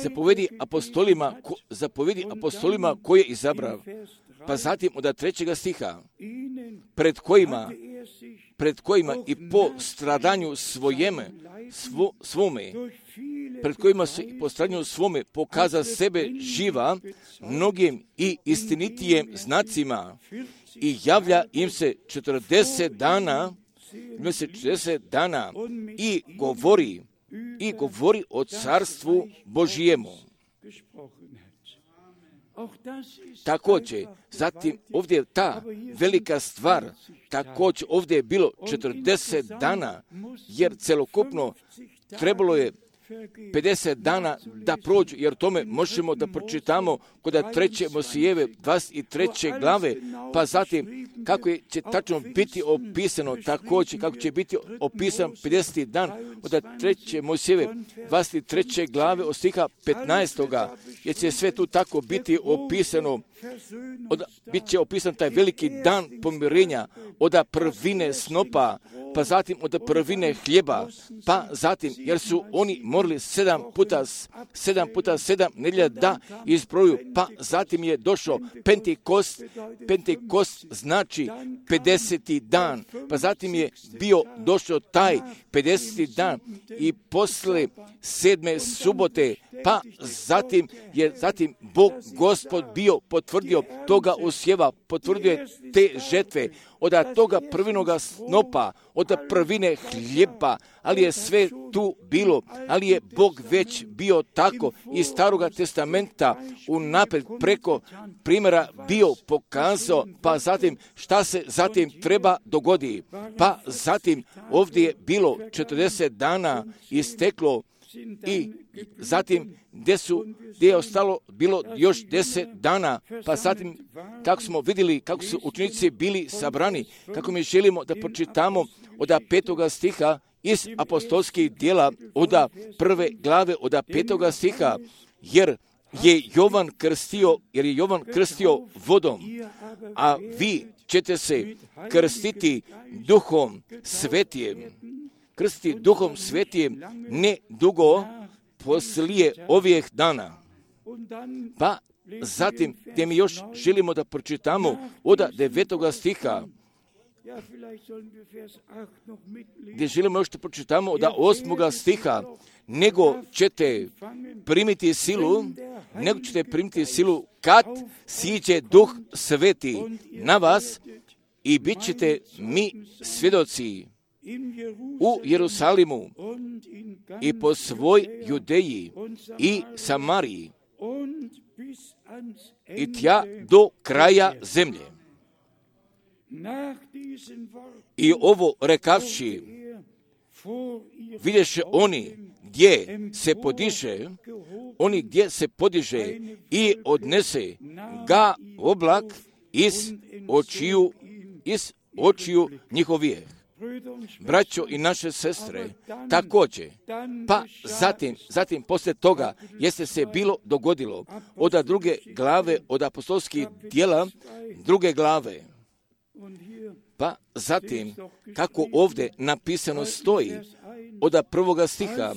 zapovedi apostolima, ko, zapovedi apostolima koje je izabrao, pa zatim od trećega stiha, pred kojima, pred kojima i po stradanju svojeme, svo, svome, pred kojima se i po stradanju svome pokaza sebe živa mnogim i istinitijem znacima i javlja im se četrdeset dana, im se četrdeset dana i govori, i govori o carstvu Božijemu. Također, zatim ovdje je ta velika stvar, također ovdje je bilo četrdeset dana, jer celokupno trebalo je pedeset dana da prođu, jer tome možemo da pročitamo kod treće Mosijeve dvadeset treće glave, pa zatim kako će tačno biti opisano, također kako će biti opisan pedeseti dan od treće Mosijeve dvadeset treće glave od stiha petnaestoga, jer će sve tu tako biti opisano, od, bit će opisan taj veliki dan pomirenja od prvine snopa, pa zatim od prvine hljeba, pa zatim, jer su oni morali sedam puta, sedam puta sedam nedjelja da izbroju, pa zatim je došao Pentekost, Pentekost znači pedeseti dan, pa zatim je bio došao taj pedeseti dan i posle sedme subote, pa zatim je zatim Bog Gospod bio potvrdio toga usjeva, potvrdio je te žetve, od toga prvinoga snopa, od prvine hljeba, ali je sve tu bilo, ali je Bog već bio tako iz Staroga testamenta unaprijed preko primjera bio pokazao, pa zatim šta se zatim treba dogodi. Pa zatim ovdje je bilo četrdeset dana isteklo i zatim gdje su, gdje je ostalo bilo još deset dana, pa zatim kako smo vidjeli kako su učenici bili sabrani, kako mi želimo da pročitamo od petoga stiha iz apostolskih djela, od prve glave, od petoga stiha, jer je Jovan krstio, jer je Jovan krstio vodom, a vi ćete se krstiti Duhom Svetijem. Krstiti Duhom Svetijem ne dugo poslije ovih dana. Pa zatim, gdje mi još želimo da pročitamo od devetoga stiha, gdje želimo još da pročitamo od osmoga stiha, nego ćete primiti silu, nego ćete primiti silu kad siđe Duh Sveti na vas i bit ćete mi svjedoci u Jerusalimu i po svoj Judeji i Samariji i tja do kraja zemlje. I ovo rekavši, vidješe oni gdje se podiže, oni gdje se podiže i odnese ga oblak iz očiju, iz očiju njihovih. Braćo i naše sestre, također, pa zatim, zatim poslije toga jeste se bilo dogodilo od druge glave, od apostolskih djela, druge glave. Pa zatim, kako ovdje napisano stoji, od prvoga stiha,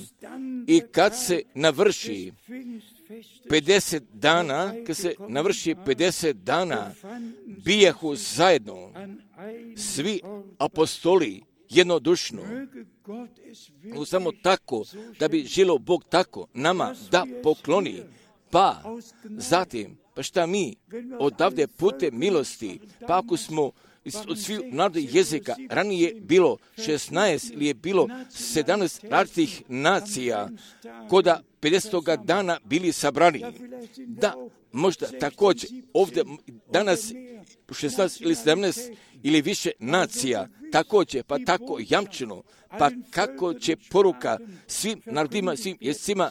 i kad se navrši pedeset dana, kad se navrši pedeset dana, bijehu zajedno svi apostoli jednodušno. Samo tako, da bi želio Bog tako nama da pokloni. Pa zatim, pa šta mi odavde putem milosti, pa ako smo od svih narodnih jezika, ranije bilo šesnaest ili je bilo sedamnaest različitih nacija, koda pedesetoga dana bili sabrani. Da, možda također ovdje danas šesnaest ili sedamnaest ili više nacija, također, pa tako jamčeno, pa kako će poruka svim narodima, svim jezicima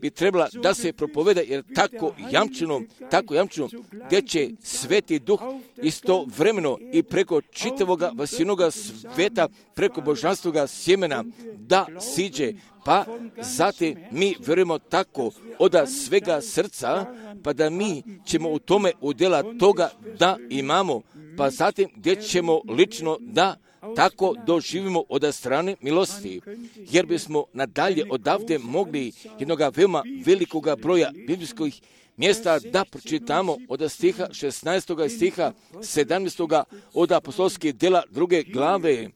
bi trebala da se propoveda, jer tako jamčeno, tako jamčeno, gdje će Sveti Duh istovremeno i preko čitavoga vasinoga sveta, preko božanstvoga sjemena da siđe, pa zatim mi vjerujemo tako od svega srca, pa da mi ćemo u tome udjela toga da imamo, pa zatim gdje ćemo lično da tako doživimo od strane milosti, jer bismo nadalje odavde mogli jednoga veoma velikoga broja biblijskih mjesta da pročitamo od stiha šesnaestoga i stiha sedamnaestoga od apostolskih djela druge glave,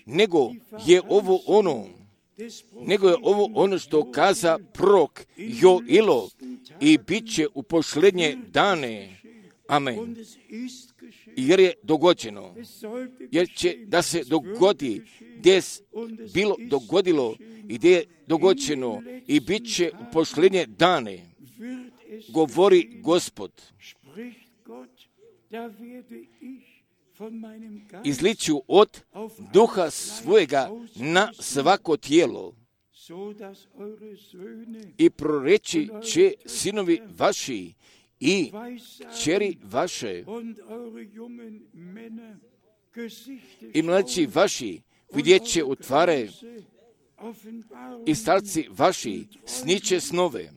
nego je ovo ono, nego je ovo ono što kaza prorok Joilo i bit će u posljednje dane. Amen. Jer je dogođeno, jer će da se dogodi gdje je bilo dogodilo i gdje je dogođeno i bit će u posljednje dane, govori Gospod. Izliću od duha svojega na svako tijelo i proreći će sinovi vaši i kćeri vaše i mlađi vaši vidjet će utvare i starci vaši sniće snove.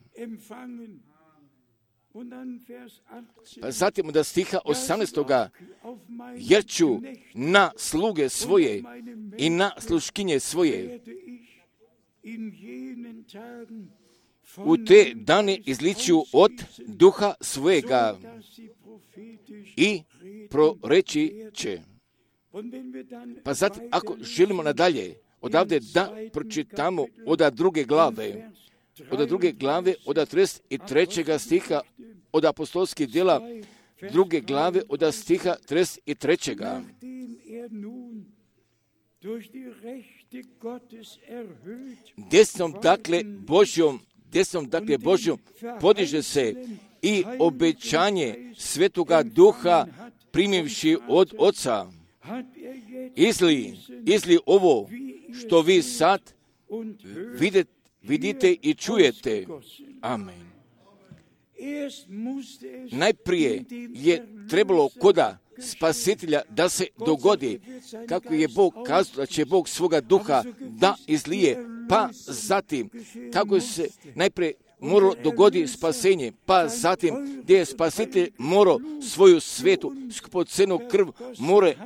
Pa zatim od stiha osamnaestoga, jer ću na sluge svoje i na sluškinje svoje u te dane izliću od duha svojega i proreći će. Pa zatim, ako želimo nadalje, odavde da pročitamo od druge glave, od druge glave, od trideset trećega stiha, od apostolskih djela, druge glave od stiha trideset trećega. Desnom dakle Božjom, desnom dakle Božjom podiže se i obećanje Svetoga Duha primivši od Oca. Izli, izli ovo što vi sad vidite, vidite i čujete. Amen. Najprije je trebalo koda Spasitelja da se dogodi, kako je Bog kazao da će Bog svoga duha da izlije, pa zatim kako se najprije moralo dogodi spasenje, pa zatim gdje je Spasitelj morao svoju svetu skupocenu krv more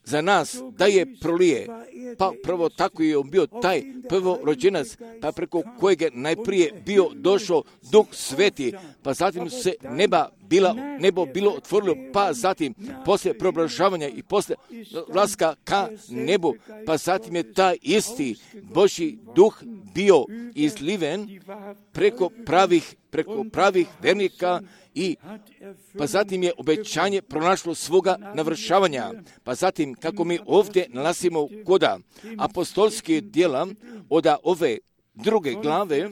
za nas da je prolije. Pa prvo tako je on bio taj prvorođenac, pa preko kojeg je najprije bio došao Duh Sveti, pa zatim se neba bila, nebo bilo otvorilo, pa zatim poslije preobražavanja i poslije ulaska ka nebu, pa zatim je taj isti Božji Duh bio izliven preko pravih, preko pravih vernika i pa zatim je obećanje pronašlo svoga navršavanja. Pa zatim, kako mi ovdje nalazimo koda apostolske djela od ove druge glave,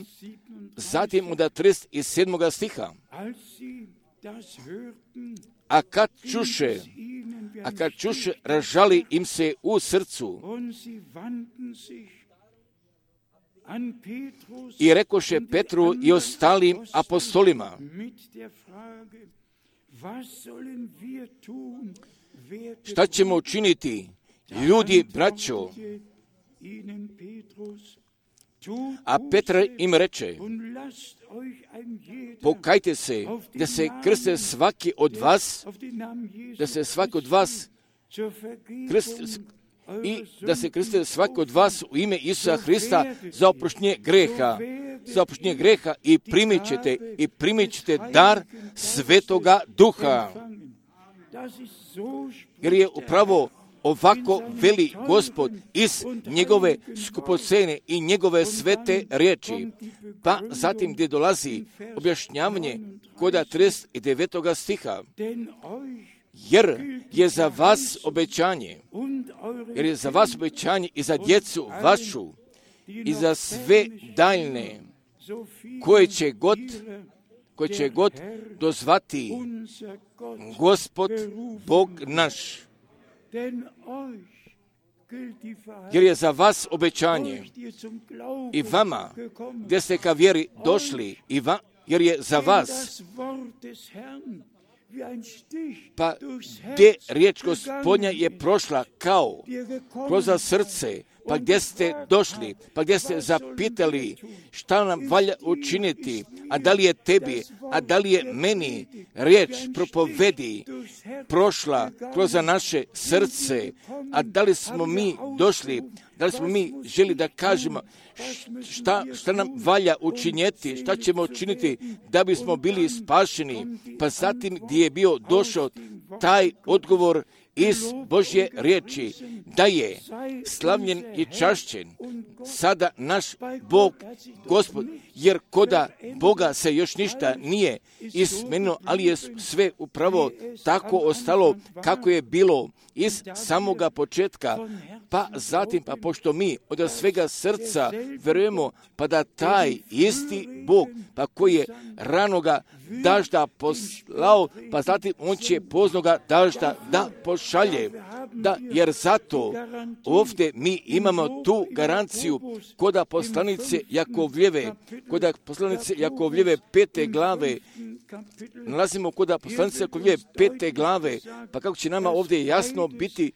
zatim od trideset sedmog stiha. A kad čuše, a kad čuše, ražali im se u srcu i rekoše Petru i ostalim apostolima: šta ćemo učiniti, ljudi, braćo? A Petar im reče: pokajte se, da se krste svaki od vas, da se svaki od vas krste, i da se krste svaki od vas u ime Isusa Hrista za oproštenje greha, za oproštenje greha i primit ćete, i primit ćete dar Svetoga Duha. Jer je upravo ovako veli Gospod iz njegove skupocene i njegove svete riječi. Pa zatim gdje dolazi objašnjavanje koda trideset devetog stiha. Jer je za vas obećanje, jer je za vas obećanje i za djecu vašu i za sve daljne koje će god, koje će god dozvati Gospod Bog naš. Jer je za vas obećanje i vama, gdje ste ka vjeri došli, i va, jer je za vas, pa gdje riječ Gospodnja je prošla kao kroz srce, pa gdje ste došli, pa gdje ste zapitali šta nam valja učiniti, a da li je tebi, a da li je meni riječ propovedi prošla kroz naše srce, a da li smo mi došli, da li smo mi želi da kažemo šta, šta nam valja učinjeti, šta ćemo učiniti da bismo bili spašeni, pa zatim gdje je bio došao taj odgovor iz Božje riječi, da je slavljen i čašćen sada naš Bog, Gospod, jer koda Boga se još ništa nije izmenilo, ali je sve upravo tako ostalo kako je bilo iz samoga početka, pa zatim, pa pošto mi od svega srca verujemo, pa da taj isti Bog, pa koji je ranoga dažda poslao, pa zatim on će poznoga dažda da pošalje. Da, jer zato ovdje mi imamo tu garanciju koda poslanice Jakovljeve, koda poslanice Jakovljeve pete glave, nalazimo koda poslanice Jakovljeve pete glave, pa kako će nama ovdje jasno biti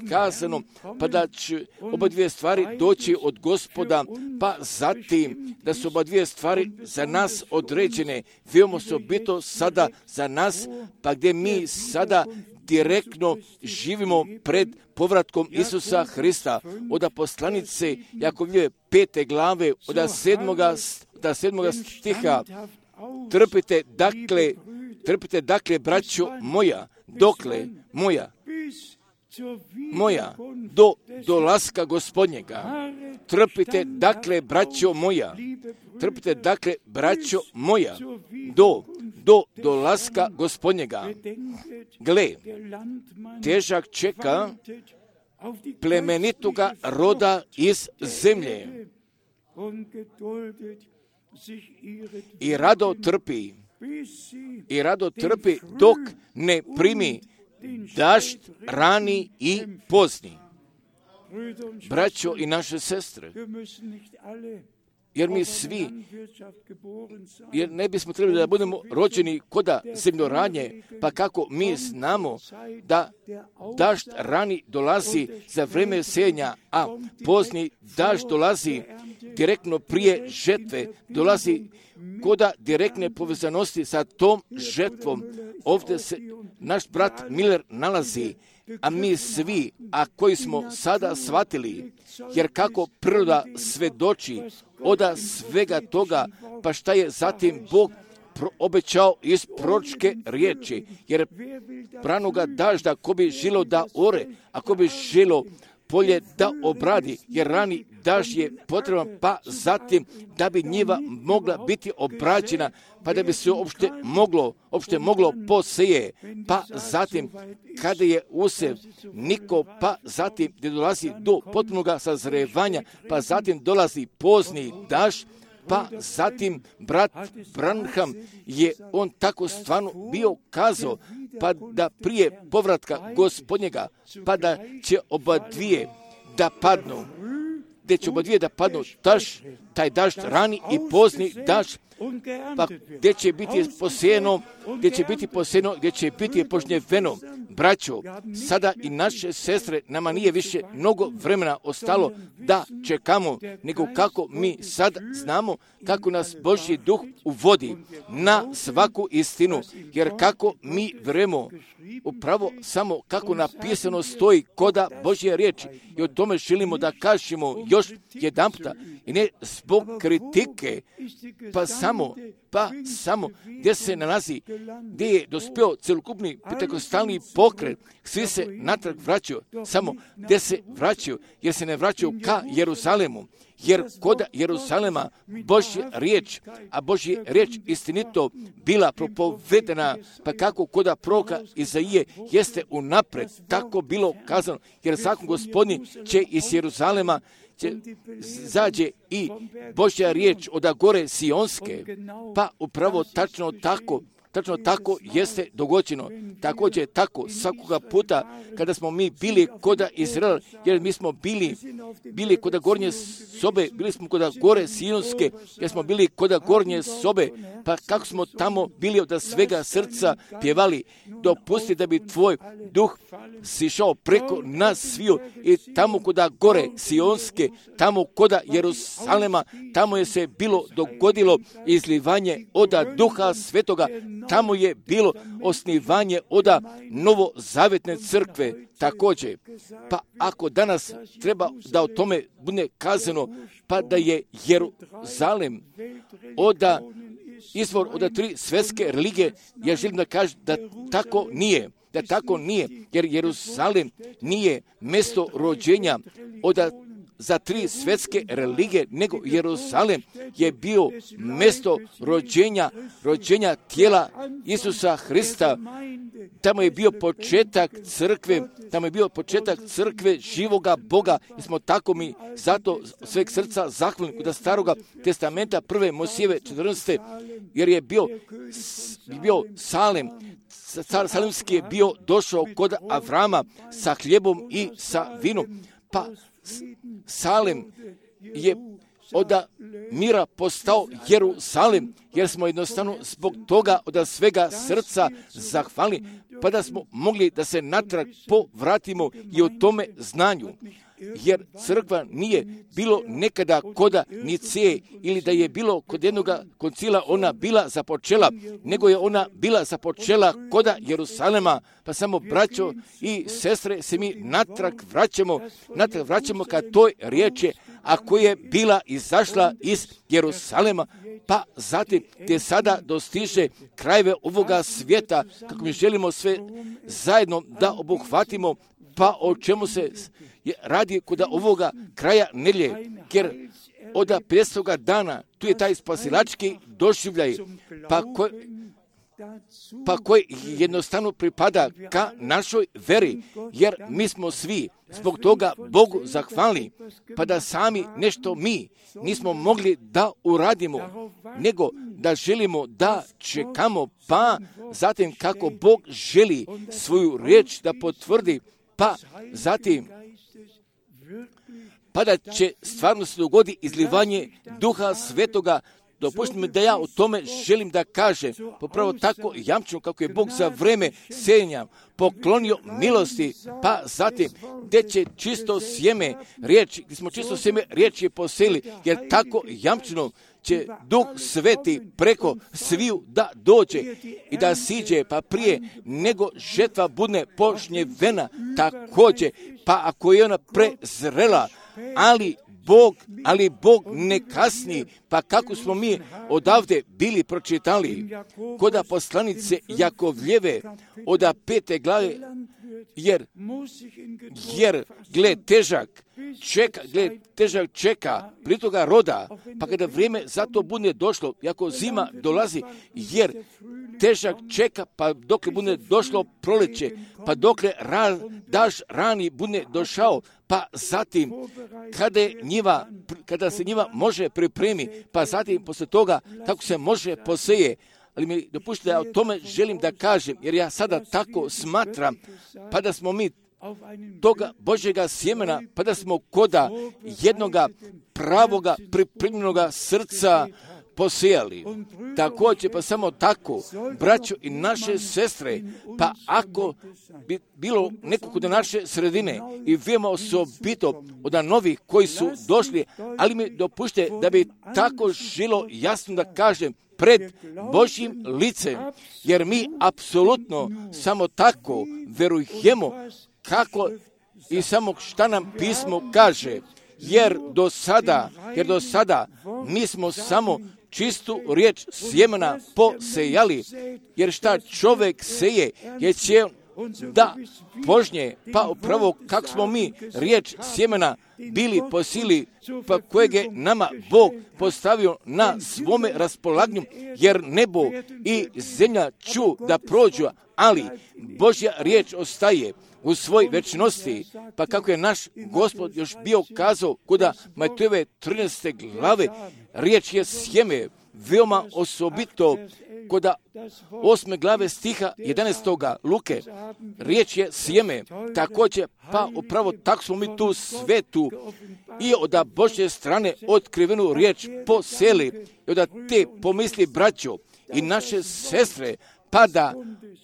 kazano, pa da će oba dvije stvari doći od Gospoda, pa zatim da su oba dvije stvari za nas određene, veoma su bito sada za nas, pa gdje mi sada direktno živimo pred povratkom Isusa Hrista. Od poslanice Jakovljeve pete glave, od sedmoga, od sedmoga stiha, trpite dakle, trpite dakle, braćo moja, dokle moja, moja, do dolaska Gospodnjega. Trpite dakle, braćo moja, trpite dakle, braćo moja, do do dolaska Gospodnjega. Gle, težak čeka plemenitoga roda iz zemlje i rado trpi, i rado trpi dok ne primi dašt rani i pozni. Braćo i naše sestre, jer mi svi, jer ne bismo trebali da budemo rođeni koda zemljoradnje, pa kako mi znamo da dašt rani dolazi za vreme sejanja, a pozni dašt dolazi direktno prije žetve, dolazi koda direktne povezanosti sa tom žetvom. Ovdje se naš brat Miller nalazi, a mi svi, a koji smo sada shvatili, jer kako priroda svedoči oda svega toga, pa šta je zatim Bog obećao iz proročke riječi, jer ranoga dažda ko bi želo da ore, ako bi želo polje da obradi, jer rani dažd je potreban, pa zatim da bi njiva mogla biti obrađena, pa da bi se uopšte moglo, uopšte moglo poseje, pa zatim kada je usev niko, pa zatim gdje dolazi do potpunog sazrevanja, pa zatim dolazi pozni dažd, pa zatim brat Branham je on tako stvarno bio kazao, pa da prije povratka Gospodnjega, pa da će oba dvije da padnu, gdje će oba dvije da padnu, daž, taj dažd rani i pozni dažd, pa gdje će biti posejeno, gdje će biti posejeno, gdje će biti požnjeveno. Braćo, sada i naše sestre, nama nije više mnogo vremena ostalo da čekamo, nego kako mi sad znamo kako nas Božji duh uvodi na svaku istinu, jer kako mi vremo upravo samo kako napisano stoji koda Božje riječi, i o tome želimo da kažemo još jedan puta, i ne zbog kritike, pa samo, pa samo gdje se nalazi, gdje je dospio celokupni pentekostalni pokret, svi se natrag vraćaju, samo gdje se vraćaju, jer se ne vraćaju ka Jeruzalemu, jer kod Jeruzalema Božja riječ, a Božja riječ istinito bila propovedena, pa kako koda proroka Izaije jeste unapred tako bilo kazano, jer zakon Gospodnji će iz Jeruzalema će zađe i Božja riječ od gore Sionske, pa upravo tačno tako, tačno tako jeste dogođeno. Također tako svakoga puta kada smo mi bili koda Izrael, jer mi smo bili, bili koda gornje sobe, bili smo koda gore Sionske, jer smo bili koda gornje sobe, pa kako smo tamo bili od svega srca pjevali, dopusti da bi tvoj duh sišao preko nas sviju i tamo koda gore Sionske, tamo koda Jerusalema, tamo je se bilo dogodilo izlivanje oda Duha Svetoga, tamo je bilo osnivanje oda novozavetne crkve također. Pa ako danas treba da o tome bude kazano, pa da je Jeruzalem oda izvor od tri svjetske religije, ja želim da kažem da tako nije, da tako nije, jer Jeruzalem nije mjesto rođenja od za tri svjetske religije, nego Jeruzalem je bio mjesto rođenja, rođenja tijela Isusa Hrista. Tamo je bio početak crkve, tamo je bio početak crkve živoga Boga, i smo tako mi zato sveg srca zahvalni kod staroga testamenta prve Mojsijeve četrnaeste, jer je bio, bio Salem, car Salemski je bio došao kod Avrama sa hljebom i sa vinom, pa Salem je od mira postao Jeruzalem, jer smo jednostavno zbog toga od svega srca zahvalni, pa da smo mogli da se natrag povratimo i o tome znanju. Jer crkva nije bilo nekada koda Niceje ili da je bilo kod jednog koncila ona bila započela, nego je ona bila započela koda Jeruzalema, pa samo braćo i sestre se mi natrag vraćamo, natrag vraćamo ka toj riječi, a koja je bila izašla iz Jeruzalema, pa zatim te sada dostiže krajeve ovoga svijeta, kako mi želimo sve zajedno da obuhvatimo, pa o čemu se radi kod ovoga kraja nedjelje, jer od pedesetog dana tu je taj spasilački doživljaj, pa ko, pa koji jednostavno pripada ka našoj veri, jer mi smo svi zbog toga Bogu zahvalni, pa da sami nešto mi nismo mogli da uradimo, nego da želimo da čekamo, pa zatim kako Bog želi svoju riječ da potvrdi, pa zatim pa da će stvarno se dogodi izlivanje Duha Svetoga. Dopustite mi da ja o tome želim da kažem, popravo tako jamčeno kako je Bog za vreme sejanja poklonio milosti, pa zatim gdje će čisto sjeme riječi, gdje smo čisto sjeme riječi poseli, jer tako jamčeno će Duh Sveti preko sviju da dođe i da siđe, pa prije nego žetva bude požnjevena također, pa ako je ona prezrela, ali Bog, ali Bog ne kasni, pa kako smo mi odavde bili pročitali kod poslanice Jakovljeve od pete glave, jer, jer gled težak čeka, gled težak čeka pri toga roda, pa kada vrijeme za to bude došlo, jako zima dolazi, jer težak čeka, pa dokle bude došlo proleće, pa dokle ra, daž rani bude došao, pa zatim kada, je njiva, kada se njiva može pripremi, pa zatim posle toga kako se može poseje. Ali mi dopustite da ja o tome želim da kažem, jer ja sada tako smatram, pa da smo mi toga Božjega sjemena, pa da smo koda jednoga pravoga pripremljenoga srca posijali. Također, pa samo tako, braćo i naše sestre, pa ako bi bilo nekog od naše sredine i veoma osobito od novih koji su došli, ali mi dopušte da bi tako želo jasno da kažem pred Božjim licem, jer mi apsolutno samo tako verujemo kako i samo šta nam pismo kaže, jer do sada, jer do sada mi smo samo čistu riječ sjemena posejali, jer šta čovjek seje, jer će da požnje, pa upravo kako smo mi riječ sjemena bili posili, pa kojeg je nama Bog postavio na svome raspolaganju, jer nebo i zemlja ću da prođu, ali Božja riječ ostaje u svoj večnosti, pa kako je naš Gospod još bio kazao kod Matejove trinaeste glave, riječ je sjeme, veoma osobito kod osme glave stiha jedanaestoga Luke, riječ je sjeme, također, pa upravo tako smo mi tu svetu i od Božje strane otkrivenu riječ poseli i od te pomisli braćo i naše sestre, pa da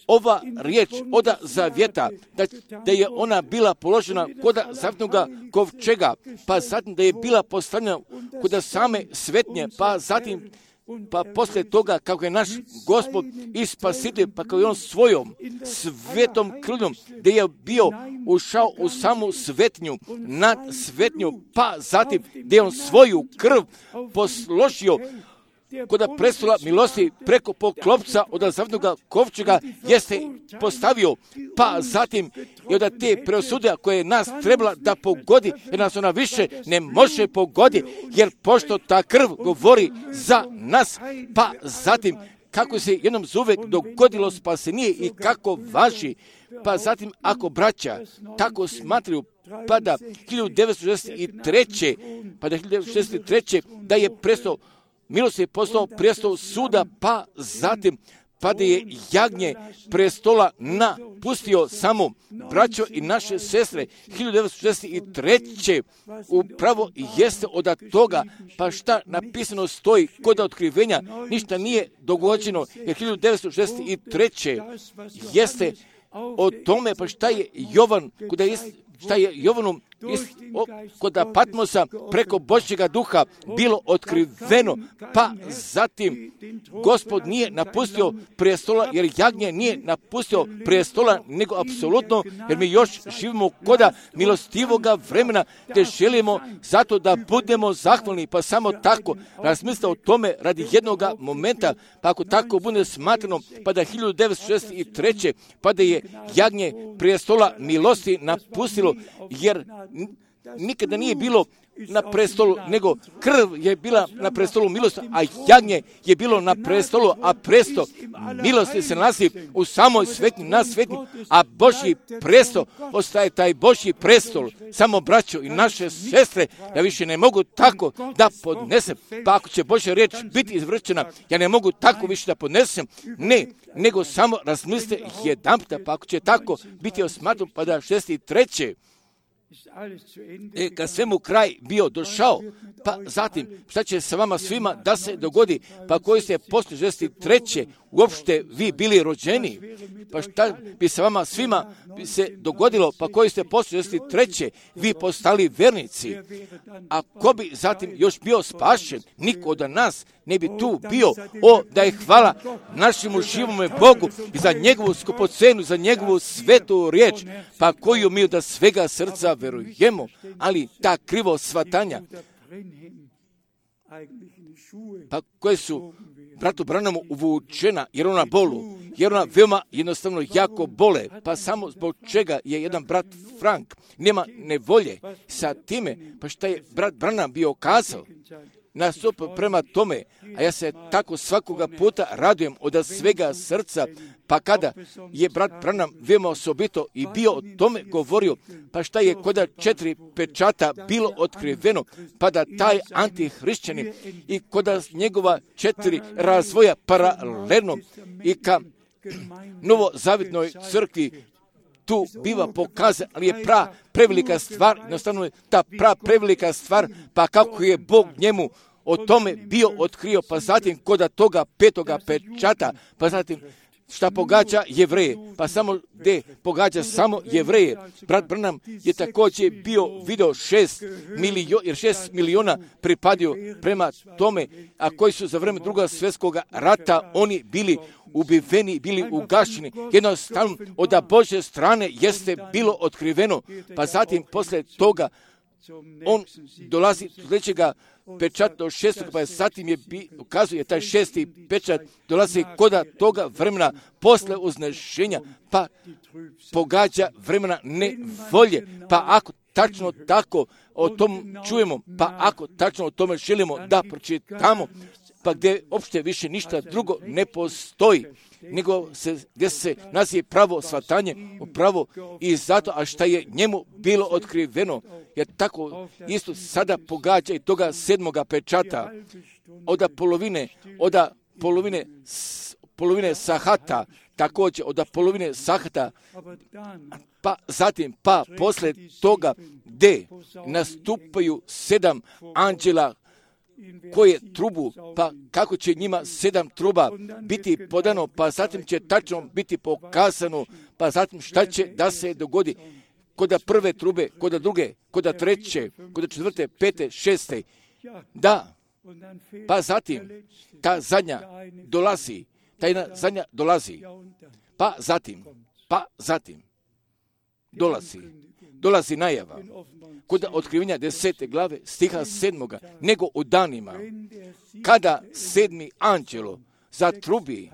ova riječ od zavjeta, da, da je ona bila položena kod zavjetnoga kovčega, pa zatim da je bila postavljena kod same svetnje, pa zatim pa poslije toga kako je naš Gospod i Spasitelj, pa kako je on svojom svetom krvljom, gdje je bio ušao u samu svetnju, nad svetnju, pa zatim gdje je on svoju krv posložio kod prestola milosti preko poklopca od zavjetnoga kovčega jeste postavio, pa zatim i od te preosude koje nas trebala da pogodi, jer nas ona više ne može pogoditi, jer pošto ta krv govori za nas, pa zatim kako se jednom zuvek dogodilo spasenije i kako važi, pa zatim ako braća tako smatraju, pa da hiljadu devetsto šezdeset treće pa da hiljadu devetsto šezdeset treće da je prestao milost je postao prijestol suda, pa zatim pa da je jagnje prestola napustio samo braćo i naše sestre hiljadu devetsto šezdeset treće upravo jeste od toga, pa šta napisano stoji kod otkrivenja, ništa nije dogođeno, jer hiljadu devetsto šezdeset treće jeste o tome, pa šta je Jovan, kuda je šta je Jovanom kod Patmosa preko Božjega duha bilo otkriveno, pa zatim Gospod nije napustio prestola, jer jagnje nije napustio prestola, nego apsolutno, jer mi još živimo koda milostivoga vremena, te želimo zato da budemo zahvalni, pa samo tako razmislite o tome radi jednog momenta, pa ako tako bude smatrano, pa da hiljadu devetsto šezdeset treće pa da je jagnje prestola milosti napustilo bilo, jer nikada nije bilo na prestolu, nego krv je bila na prestolu milosti, a jagnje je bilo na prestolu, a presto milosti se nalazi u samoj svetnji, na svetnji, a Božji presto ostaje taj Božji prestol. Samo braćo i naše sestre, ja više ne mogu tako da podnesem, pa ako će Božja riječ biti izvršena, ja ne mogu tako više da podnesem, ne, nego samo razmislite jedanputa, pa ako će tako biti osmatran, pa da šesti treće, E, kad svemu kraj bio došao, pa zatim šta će sa vama svima da se dogodi, pa koji ste posle šezdeset treće uopšte vi bili rođeni, pa šta bi sa vama svima bi se dogodilo, pa koji ste posle šezdeset treće vi postali vernici, a ko bi zatim još bio spašen? Niko od nas ne bi tu bio. O, da je hvala našemu živome Bogu i za njegovu skupocenu, za njegovu svetu riječ, pa koju mi da svega srca verujemo, ali ta krivo shvatanja, pa koje su bratu Branamu uvučena, jer ona bolu, jer ona veoma jednostavno jako bole, pa samo zbog čega je jedan brat Frank nema nevolje sa time, pa šta je brat Branham bio kazao, nastup prema tome, a ja se tako svakoga puta radujem od svega srca, pa kada je brat Branham veoma osobito i bio o tome govorio, pa šta je koda četiri pečata bilo otkriveno, pa da taj antihrišćanin i koda njegova četiri razvoja paralelno i ka novozavitnoj crkvi tu biva pokazan, ali je pra prevelika stvar, jednostavno je ta pra prevelika stvar, pa kako je Bog njemu o tome bio otkrio, pa zatim koda toga petoga pečata, pa zatim šta pogađa Jevreje, pa samo gdje pogađa samo Jevreje. Brat Branham je također bio video šest miliona, jer šest miliona pripadio prema tome, a koji su za vreme drugog svjetskog rata oni bili ubiveni, bili ugašeni. Jednostavno od Božje strane jeste bilo otkriveno, pa zatim posle toga on dolazi do sljedećega pečat do šestog, pa je zatim je bi, ukazuje taj šesti pečat, dolazi koda toga vremena posle uznešenja, pa pogađa vremena nevolje, pa ako tačno tako o tom čujemo, pa ako tačno o tome želimo da pročitamo, pa gdje uopšte više ništa drugo ne postoji, nego se, gdje se nazive pravo shvatanje, pravo i zato, a šta je njemu bilo otkriveno, jer tako isto sada pogađa i toga sedmoga pečata, od polovine, od polovine, polovine sahata, također od polovine sahata, pa zatim, pa posle toga gdje nastupaju sedam anđela koje trubu, pa kako će njima sedam truba biti podano, pa zatim će tačno biti pokazano, pa zatim šta će da se dogodi koda prve trube, koda druge, koda treće, koda četvrte, pete, šeste. Da, pa zatim ta zadnja dolazi, ta jedna zadnja dolazi, pa zatim, pa zatim dolazi, dolazi najava. Kod otkrivenja desete glave stiha sedmoga, nego u danima, kada sedmi anđelo zatrubi,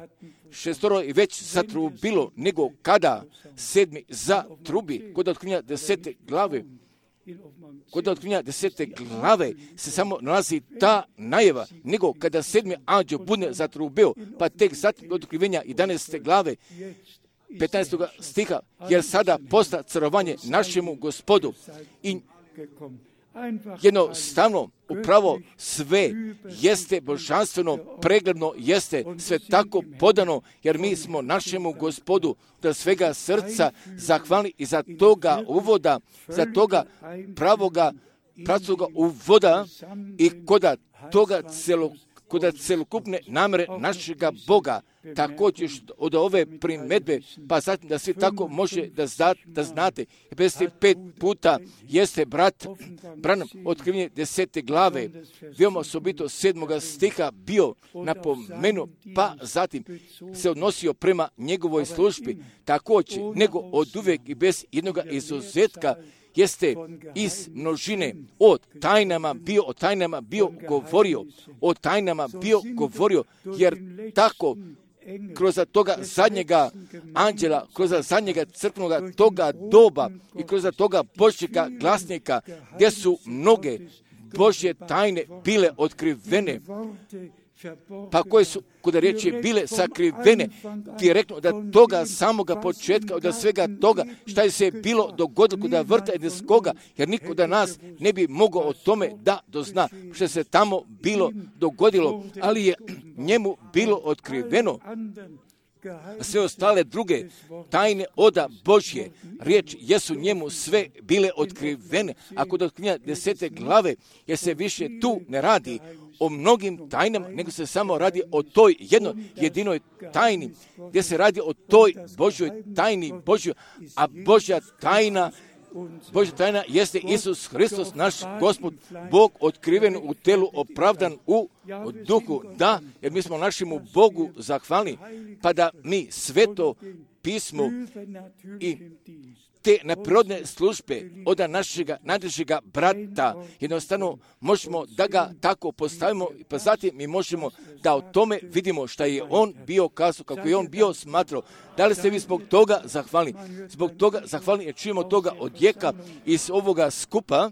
šestoro je već zatrubilo, nego kada sedmi zatrubi, kod otkrivenja desete glave, kod otkrivenja desete glave se samo nalazi ta najava, nego kada sedmi anđel bude zatrubio, pa tek zatim od otkrivenja jedanaeste glave, petnaestog stiha, jer sada posta carovanje našemu Gospodu i jednostavno, upravo sve jeste božanstveno, pregledno jeste sve tako podano, jer mi smo našemu Gospodu da svega srca zahvalni i za toga uvoda, za toga pravoga, pravcoga uvoda i koda toga celog kod celokupne namere našega Boga, također od ove primedbe, pa zatim da svi tako može da, zna, da znate. pedeset pet puta jeste brat Branham otkrivenje desete glave, veoma osobito sedmoga stiha bio napomenu, pa zatim se odnosio prema njegovoj službi, također, nego od uvijek i bez jednoga izuzetka, jeste iz množine o tajnama bio, o tajnama bio govorio, o tajnama bio govorio, jer tako kroz toga zadnjega anđela, kroz zadnjega crkvenoga toga doba i kroz toga Božjega glasnika, gdje su mnoge Božje tajne bile otkrivene, pa koje su, kod riječi, bile sakrivene direktno od toga samoga početka, od svega toga šta je se bilo dogodilo kod vrta Edenskoga, jer niko da nas ne bi mogao o tome da dozna što se tamo bilo dogodilo, ali je njemu bilo otkriveno. Sve ostale druge tajne oda Božje riječ jesu njemu sve bile otkrivene. Ako do knjiga desete glave, jer se više tu ne radi o mnogim tajnama, nego se samo radi o toj jednoj jedinoj tajni, gdje se radi o toj Božjoj tajni Božjoj, a Božja tajna Božja tajna jeste Isus Hristos, naš Gospod, Bog otkriven u telu, opravdan u duhu. Da, jer mi smo našemu Bogu zahvalni, pa da mi sveto pismo i te neprirodne službe od našega najdražega brata, jednostavno možemo da ga tako postavimo, pa zatim mi možemo da o tome vidimo šta je on bio kazao, kako je on bio smatrao. Da li ste vi zbog toga zahvalni? Zbog toga zahvalni jer čujemo toga odjeka iz ovoga skupa,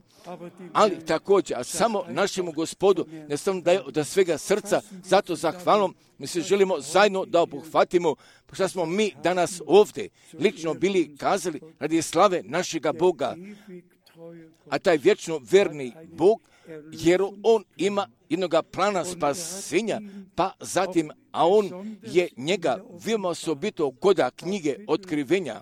ali također, a samo našemu Gospodu, jednostavno da je od svega srca, zato zahvalnom, mi se želimo zajedno da obuhvatimo šta smo mi danas ovdje lično bili kazali radi slave našega Boga, a taj vječno verni Bog, jer on ima jednoga plana spasenja, pa zatim, a on je njega veoma osobito koda knjige otkrivenja,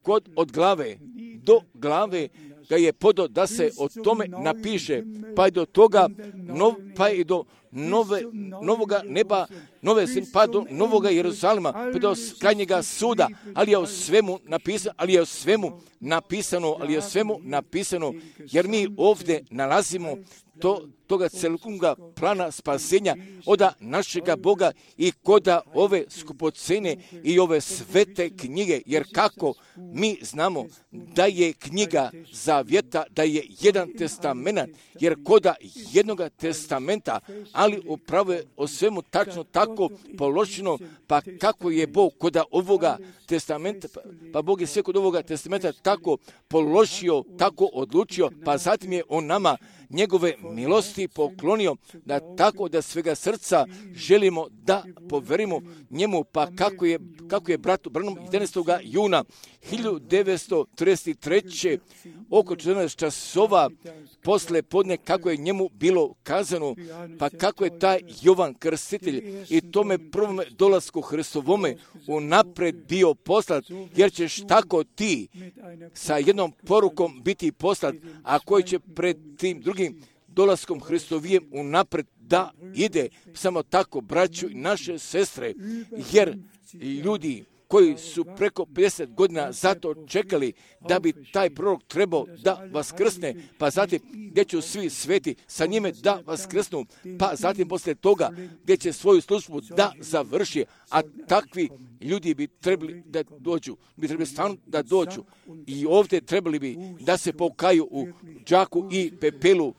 kod od glave do glave ga je podao da se o tome napiše, pa je do toga, nov, pa je do nove, novoga neba, nove sin, pa do novoga Jeruzalema, pa do krajnjega suda, ali je o svemu napisano, ali je o svemu napisano, ali je o svemu napisano, jer mi ovdje nalazimo to, toga celokupnoga plana spasenja oda našega Boga i koda ove skupocene i ove svete knjige, jer kako mi znamo da je knjiga zavjeta, da je jedan testament, jer koda jednoga testamenta, ali upravo je o svemu tačno tako položeno, pa kako je Bog koda ovoga testamenta, pa Bog je sve kod ovoga testamenta tako položio, tako odlučio, pa zatim je on nama njegove milosti poklonio, da tako da svega srca želimo da poverimo njemu, pa kako je, kako je bratu Branham jedanaestog juna hiljadu devetsto trideset treće oko četrnaest časova posle podne, kako je njemu bilo kazano, pa kako je taj Jovan Krstitelj i tome prvome dolasku Hristovome unapred bio poslat, jer ćeš tako ti sa jednom porukom biti poslat, a koji će pred tim drugim dolaskom Hristovijem unapred da ide. Samo tako, braću i naše sestre, jer ljudi koji su preko pedeset godina zato čekali da bi taj prorok trebao da vaskrsne, pa zatim gdje će svi sveti sa njime da vaskrsnu, pa zatim poslije toga gdje će svoju službu da završi, a takvi ljudi bi trebali da dođu, bi trebali stvarno da dođu i ovdje trebali bi da se pokaju u džaku i pepelu,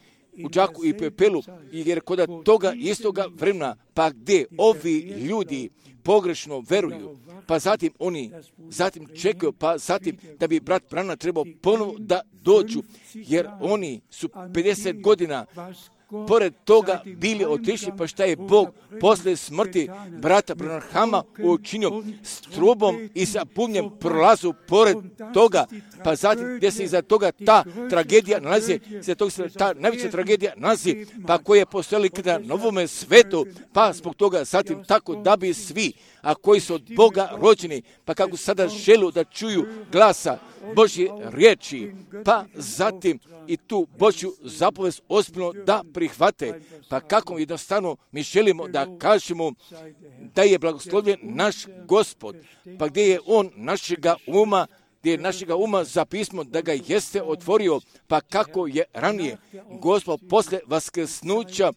u džaku i pepelu, jer kod toga istoga vremena, pa gdje ovi ljudi pogrešno veruju, pa zatim oni zatim čekaju, pa zatim da bi brat Brana trebao ponovo da dođu, jer oni su pedeset godina pored toga bili otišli, pa šta je Bog posle smrti brata Branhama učinio s trubom i sa punjem prolazu pored toga, pa zatim gdje se iza toga ta tragedija nalazi, iza toga se ta najveća tragedija nalazi, pa koje je postojali kada novome svetu, pa zbog toga zatim tako da bi svi, a koji su od Boga rođeni, pa kako sada želu da čuju glasa Božje riječi, pa zatim i tu Božju zapovest ozbiljno da prihvate, pa kako jednostavno mi želimo da kažemo da je blagoslovljen naš Gospod, pa gdje je on našega uma, gdje je našega uma za pismo da ga jeste otvorio, pa kako je ranije Gospod posle vaskrsnuća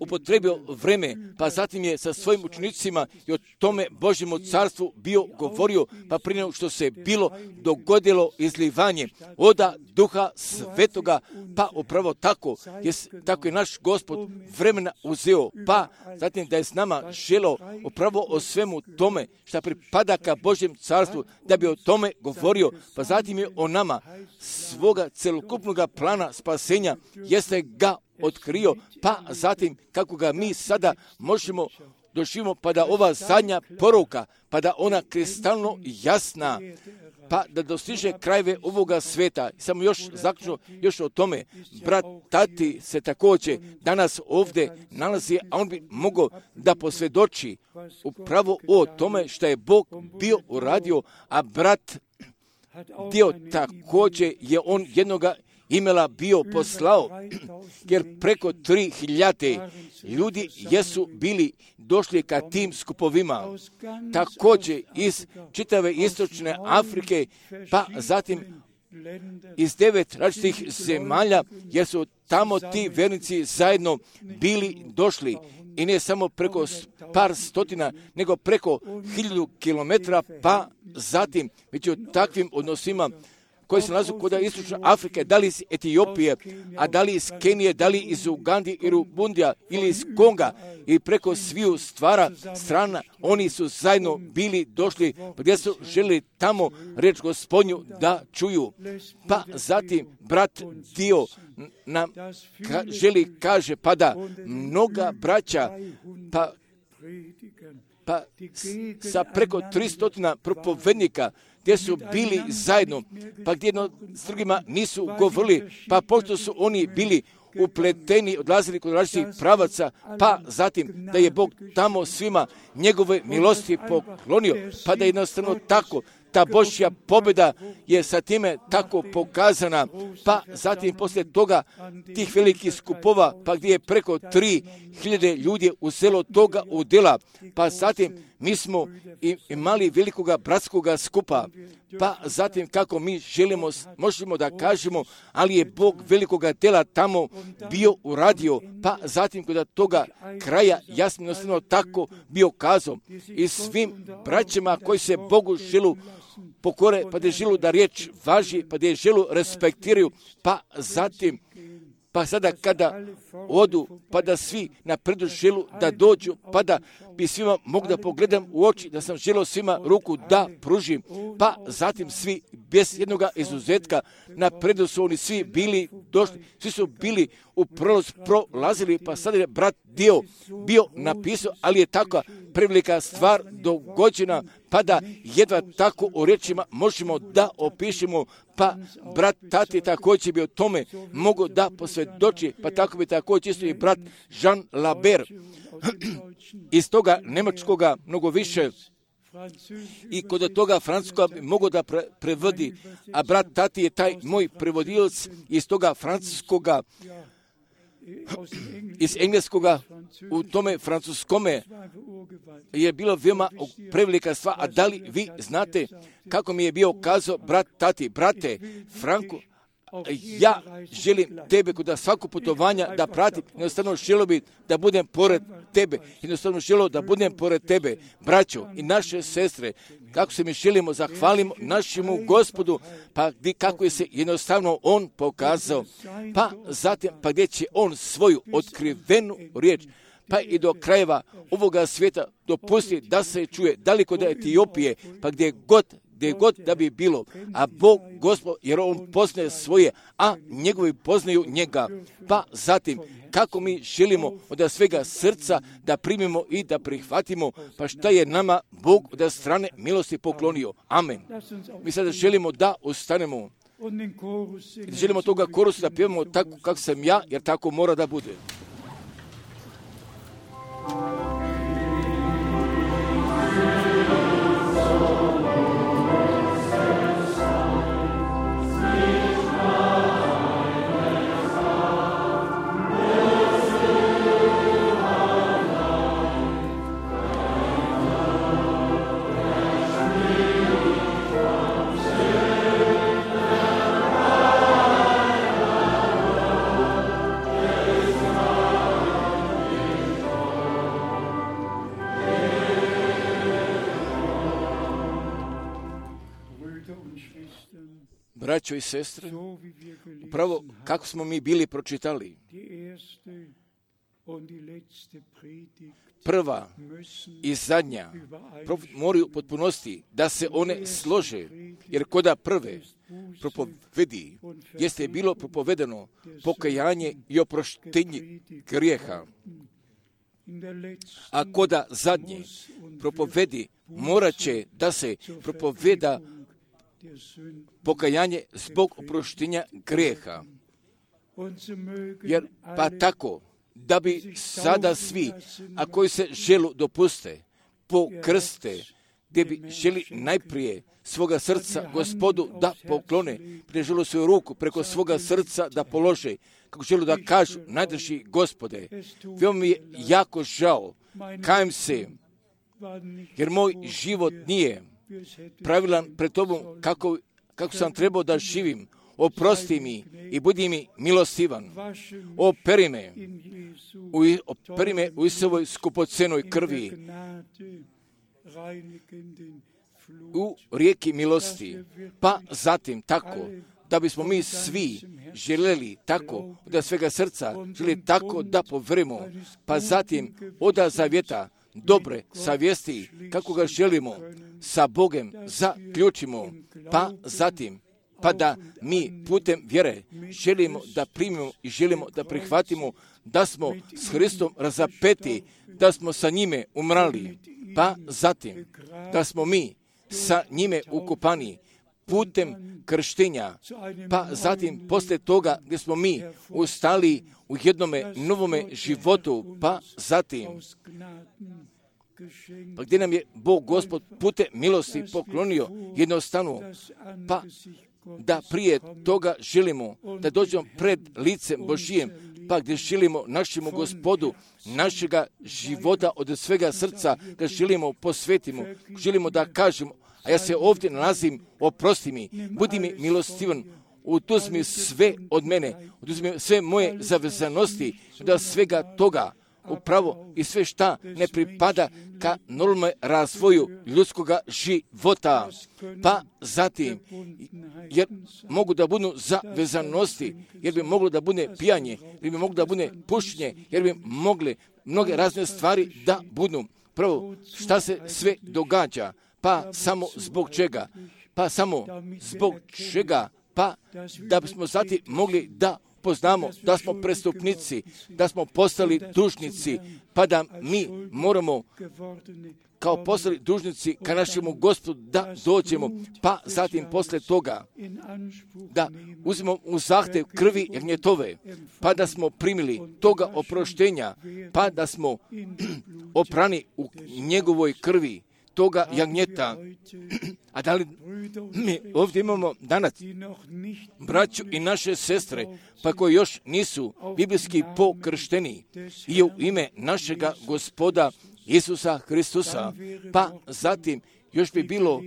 upotrebio vreme, pa zatim je sa svojim učenicima i o tome Božjemu carstvu bio govorio, pa prije nego što se bilo dogodilo izlivanje oda Duha Svetoga, pa upravo tako je, tako je naš Gospod vremena uzeo, pa zatim da je s nama želeo upravo o svemu tome što pripada ka Božjem carstvu, da bi o tome govorio, pa zatim je o nama svoga celokupnog plana spasenja jeste ga otkrio, pa zatim kako ga mi sada možemo doživimo, pa da ova zadnja poruka, pa da ona kristalno jasna, pa da dostiže krajeve ovoga sveta. Samo još zaključno još o tome, brat Tati se također danas ovdje nalazi, a on bi mogao da posvjedoči upravo o tome što je Bog bio uradio, a brat dio također je on jednoga imela bio poslao, jer preko tri hiljade ljudi jesu bili došli ka tim skupovima, također iz čitave istočne Afrike, pa zatim iz devet različitih zemalja, jer su tamo ti vernici zajedno bili došli. I ne samo preko par stotina, nego preko hiljadu kilometra, pa zatim među takvim odnosima koji se nalazu kod istočne Afrike, da li iz Etiopije, a da li iz Kenije, da li iz Ugandi i Rubundija ili iz Konga i preko sviju stvara strana, oni su zajedno bili došli gdje su želi tamo reč Gospodnju da čuju. Pa zatim brat Dio nam ka, želi kaže, pa da mnoga braća, pa pa sa preko tristotina propovednika gdje su bili zajedno, pa gdje jedno s drugima nisu govorili, pa pošto su oni bili upleteni, odlazili kod različitih pravaca, pa zatim da je Bog tamo svima njegove milosti poklonio, pa da je jednostavno tako ta Božja pobjeda je sa time tako pokazana, pa zatim poslije toga tih velikih skupova, pa gdje je preko tri hiljade ljudi uzelo toga udjela, pa zatim mi smo imali velikoga bratskoga skupa, pa zatim kako mi želimo, možemo da kažemo, ali je Bog velikoga dela tamo bio uradio, pa zatim kod toga kraja jasno jednostavno tako bio kazao i svim braćama koji se Bogu želu pokore, pa da želu da riječ važi, pa da je želu respektiraju, pa zatim pa sada kada odu, pa da svi na predu želu da dođu, pa da bi svima mogu da pogledam u oči, da sam želio svima ruku da pružim, pa zatim svi bez jednoga izuzetka na predu su oni svi bili došli, svi su bili u prolaz prolazili, pa sada je brat Dio bio napisao, ali je takva prevelika stvar dogođena, pa da jedva tako u rečima možemo da opišemo, pa brat Tati također bi o tome mogo da posvjedoči, pa tako bi također isto i brat Jean Labert iz toga njemačkoga mnogo više i kod toga francuskoga bi mogo da pre, prevodi, a brat Tati je taj moj prevodilac iz toga francuskoga, iz engleskoga u tome francuskome je bilo veoma prevelika stvar. A da li vi znate kako mi je bio kazao brat Tati, brate Franku, ja želim tebe kod svako putovanja da pratim, jednostavno želio bi da budem pored tebe, jednostavno želio da budem pored tebe, braćo i naše sestre, kako se mi želimo zahvalimo našemu Gospodu, pa gdje, kako je se jednostavno on pokazao, pa zatim pa gdje će on svoju otkrivenu riječ, pa i do krajeva ovoga svijeta dopusti da se čuje, daleko od Etiopije, pa gdje god gdje god da bi bilo, a Bog, Gospod, jer on poznaje svoje, a njegovi poznaju njega. Pa zatim, kako mi želimo od svega srca da primimo i da prihvatimo, pa šta je nama Bog od strane milosti poklonio. Amen. Mi sada želimo da ostanemo. Želimo toga korusa da pjevamo tako kako sam ja, jer tako mora da bude. Amen. braćo i sestre, upravo kako smo mi bili pročitali, prva i zadnja moraju potpunosti da se one slože, jer koda prve propovedi jeste bilo propovedano pokajanje i oproštenje grijeha, a koda zadnje propovedi morat će da se propoveda pokajanje zbog oproštenja grijeha. Jer pa tako, da bi sada svi, a koji se želu dopuste, pokrste, gdje bi želi najprije svoga srca Gospodu da poklone, prije želu svoju ruku preko svoga srca da polože, kako želu da kažu, najdrži Gospode, veoma mi je jako žao, kajem se, jer moj život nije pravilan pred Tobom kako, kako sam trebao da živim. Oprosti mi i budi mi milostivan. Operi me, u, operi me u Isovoj skupocenoj krvi, u rijeki milosti. Pa zatim tako, da bismo mi svi željeli tako, da svega srca želi tako da povremo, pa zatim oda zavjeta, dobre savjesti, kako ga želimo sa Bogem zaključimo, pa zatim, pa da mi putem vjere želimo da primimo i želimo da prihvatimo da smo s Hristom razapeti, da smo sa njime umrali, pa zatim da smo mi sa njime ukopani putem krštenja, pa zatim poslije toga gdje smo mi ustali u jednome novome životu, pa zatim pa gdje nam je Bog Gospod putem milosti poklonio jednostavno, pa da prije toga želimo da dođemo pred licem Božijem, pa gdje želimo našemu Gospodu, našega života od svega srca, da želimo posvetimo, želimo da kažemo, a ja se ovdje nalazim, oprosti mi, budi mi milostivan, oduzmi sve od mene, oduzmi sve moje zavezanosti, da svega toga upravo i sve šta ne pripada ka normalnom razvoju ljudskoga života. Pa zatim, jer mogu da budu zavezanosti, jer bi moglo da bude pijanje, jer bi moglo da bude pušenje, jer bi mogli mnoge razne stvari da budu. Prvo, šta se sve događa? Pa samo zbog čega? Pa samo zbog čega? Pa da bismo zatim mogli da poznamo da smo prestupnici, da smo postali dužnici, pa da mi moramo kao postali dužnici ka našemu Gospodu da dođemo, pa zatim posle toga da uzmemo u zahtev krvi jagnjetove, pa da smo primili toga oproštenja, pa da smo oprani u njegovoj krvi toga jagnjeta. A da li mi ovdje imamo danas braću i naše sestre, pa koji još nisu biblijski pokršteni i u ime našega Gospoda Isusa Hristusa, pa zatim još bi bilo,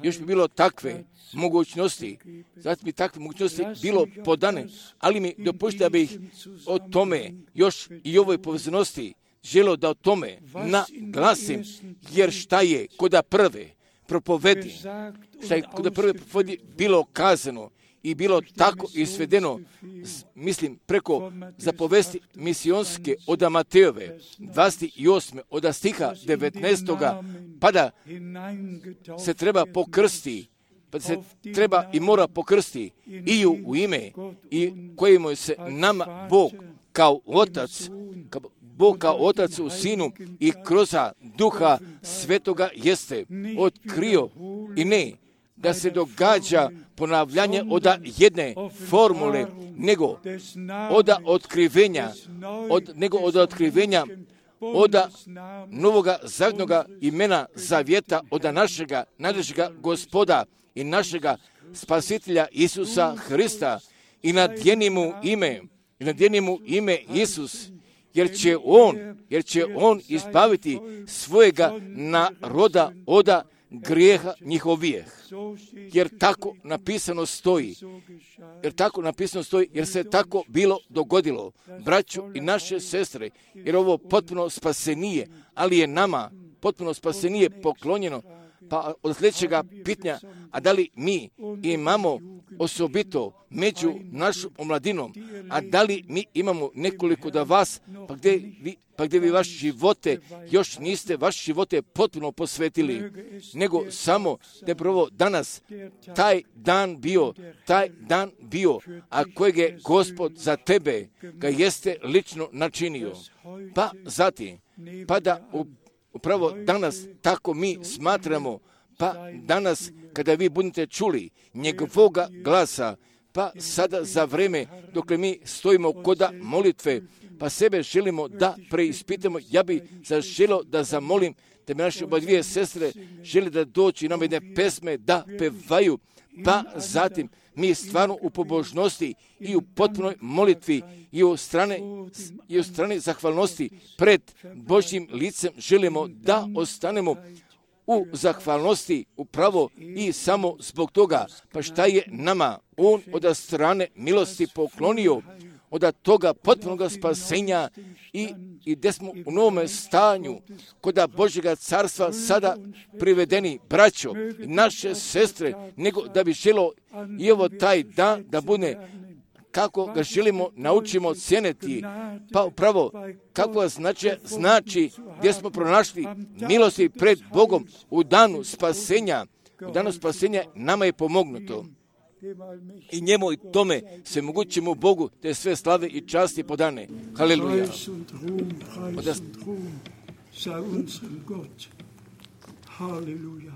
još bi bilo takve mogućnosti, zatim bi takve mogućnosti bilo podane, ali mi dopustite da bih o tome još i ovoj povezanosti želio da o tome naglasim, jer šta je koda prve propovedi, šta je koda prve propovedi bilo kazano i bilo tako izvedeno, mislim, preko zapovesti misionske od Matejove, dvadeset osme od stiha devetnaestog pa da se treba pokrsti, pa se treba i mora pokrsti i u, u ime i kojemu se nama Bog kao Otac, kao Bog kao Otac u Sinu i kroz Duha Svetoga jeste otkrio i ne da se događa ponavljanje od jedne formule, nego od otkrivenja, od, nego od otkrivenja od novoga zavjetnoga imena zavjeta od našega najdražega Gospoda i našega Spasitelja Isusa Hrista i nadjeni mu ime, i nadjeni mu ime Isus, jer će on, jer će on izbaviti svojega naroda od grijeha njihovih. Jer tako napisano stoji. Jer tako napisano stoji, jer se tako bilo dogodilo. Braću i naše sestre, jer ovo potpuno spasenije, ali je nama potpuno spasenije poklonjeno, pa od sljedećega pitanja, a da li mi imamo osobito među našom omladinom, a da li mi imamo nekoliko da vas, pa gdje vi, pa gdje vi vaše živote još niste vaše živote potpuno posvetili, nego samo da je prvo danas taj dan bio, taj dan bio, a kojeg je Gospod za tebe ga jeste lično načinio. Pa zatim, pa da upravo danas tako mi smatramo, pa danas kada vi budete čuli njegovoga glasa, pa sada za vreme dok mi stojimo koda molitve, pa sebe želimo da preispitamo, ja bi zaželio da zamolim da mi naše oba dvije sestre žele da doći nam jedne pesme da pevaju, pa zatim mi stvarno u pobožnosti i u potpunoj molitvi i u strane, i u strane zahvalnosti pred Božjim licem želimo da ostanemo u zahvalnosti upravo i samo zbog toga, pa šta je nama on od strane milosti poklonio, od toga potpunog spasenja i, i gdje smo u novome stanju koda Božjega carstva sada privedeni braćo i naše sestre, nego da bi želo i ovo taj dan da bude kako ga želimo naučimo cijeniti, pa upravo kako znači, znači gdje smo pronašli milosti pred Bogom u danu spasenja. U danu spasenja nama je pomognuto. I njemu i tome se mogućemo Bogu te sve slave i časti podane. Haleluja. Halleluja.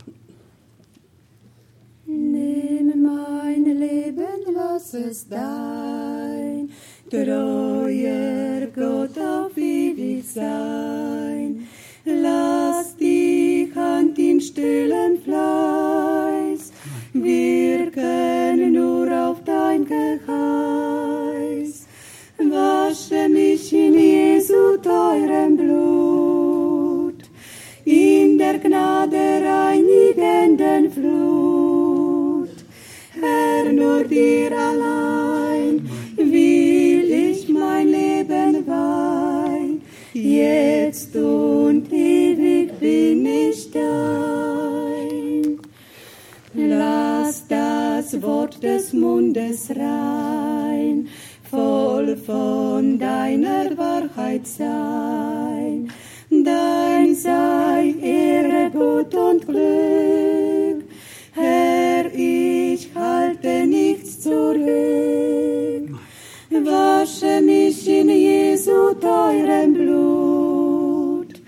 Nimm mein Leben, lass es dein treuer Gott auf ewig sein. Lass die Hand in stillen Fleiß wirken nur auf dein Geheiß. Wasche mich in Jesu teurem Blut, in der Gnade reinigenden Flut. Herr, nur dir allein will ich mein Leben weihen, jetzt und ewig bin ich dein. Lass das Wort des Mundes rein, voll von deiner Wahrheit sein. Dein sei Ehre, Gut und Glück, Herr, ich halte nichts zurück. Wasche mich in Jesu teurem Blut,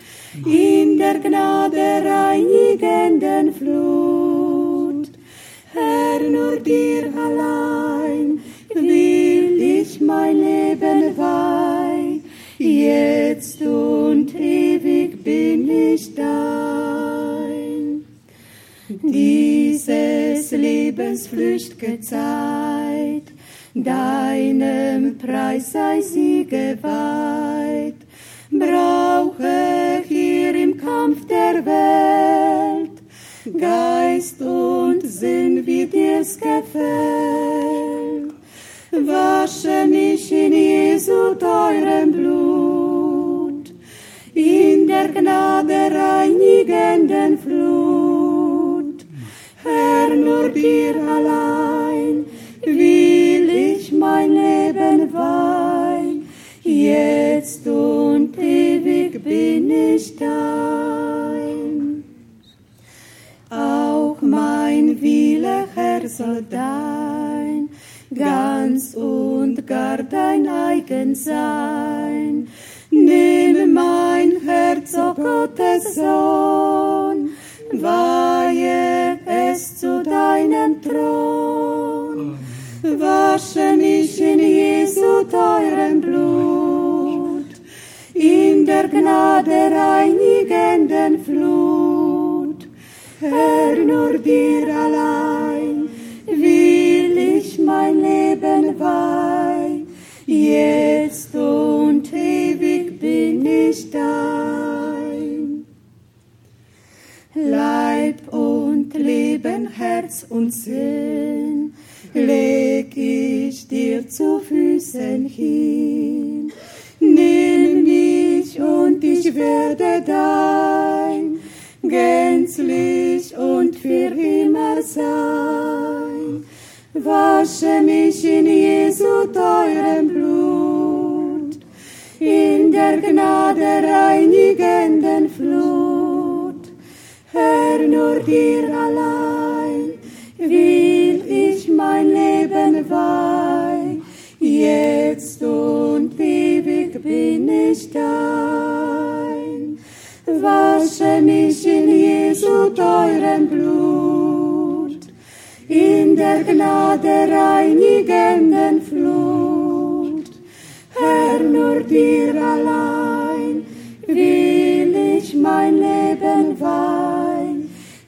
in der Gnade reinigenden Flut. Herr, nur dir allein will ich mein Leben weihen, jetzt und ewig bin ich dein. Dieses Lebens flücht'ge Zeit, deinem Preis sei sie geweiht. Brauche hier im Kampf der Welt Geist und Sinn, wie dir's gefällt. Wasche mich in Jesu teurem Blut, in der Gnade reinigenden Flut. Herr, nur dir allein will ich mein Leben weihen, jetzt und ewig bin ich dein. Auch mein Wille, Herr, soll dein ganz und gar dein eigen sein. Nimm mein Herz, o Gottes Sohn, weihe es zu deinem Thron. Wasche mich in Jesu teurem Blut, in der Gnade reinigenden Flut. Herr, nur dir allein will ich mein Leben weihen, jetzt und ewig bin ich dein. Leib und Leben, Herz und Sinn leg ich dir zu Füßen hin. Nimm mich und ich werde dein, gänzlich und für immer sein. Wasche mich in Jesu teurem Blut, in der Gnade reinigenden Flut. Herr, nur dir allein will ich mein Leben weihen, jetzt und ewig bin ich dein. Wasche mich in Jesu teurem Blut, in der Gnade reinigenden Flut. Herr, nur dir allein will ich mein Leben weihen,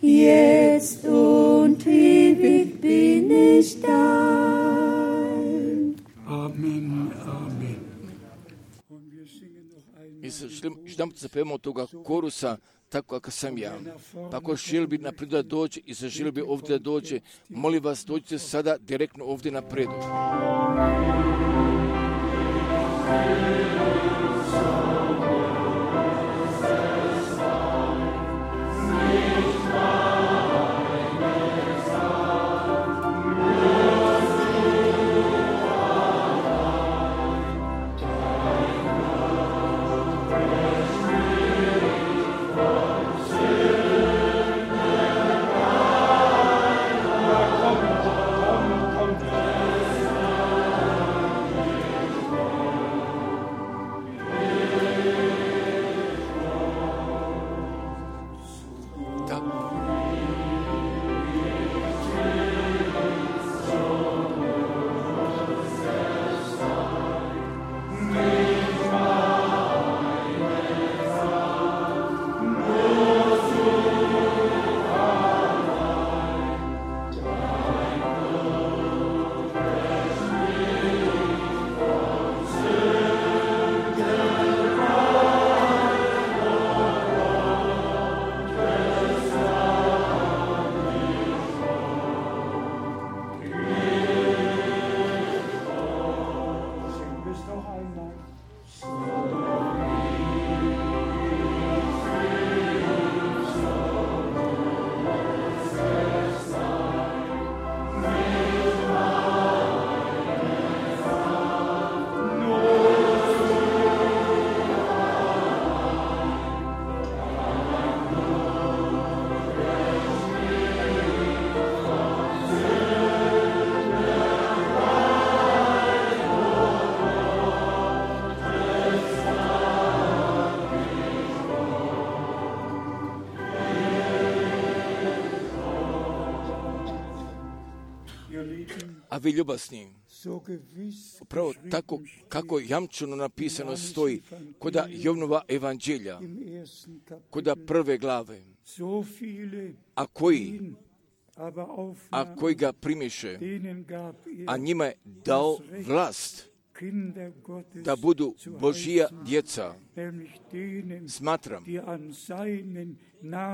jetzt und ewig bin ich dein. Amen, amen. Mi se želimo da zapevamo toga korusa tako kako sam ja. Pa ako želi bi naprijed da dođe i zaželi bi ovdje da dođe, molim vas dođite sada direktno ovdje naprijed. A vi ljubasni, upravo tako kako jamčeno napisano stoji koda Jovnova evanđelja, koda prve glave, a koji, a koji ga primiše, a njima je dao vlast da budu Božija djeca. Smatram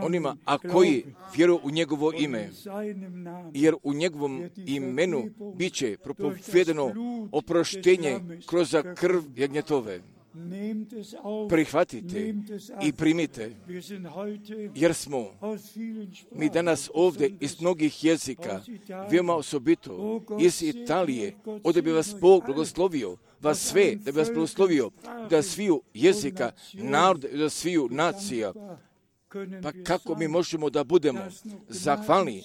onima, a koji vjeruju u njegovo ime, jer u njegovom imenu bit će propovedeno oproštenje kroz krv jagnjetove. Prihvatite i primite, jer smo mi danas ovdje iz mnogih jezika, veoma osobito iz Italije, ovdje bi vas Bog blagoslovio, vas sve, da bi vas blagoslovio, da sviju jezika, narod, da sviju nacija. Pa kako mi možemo da budemo zahvalni,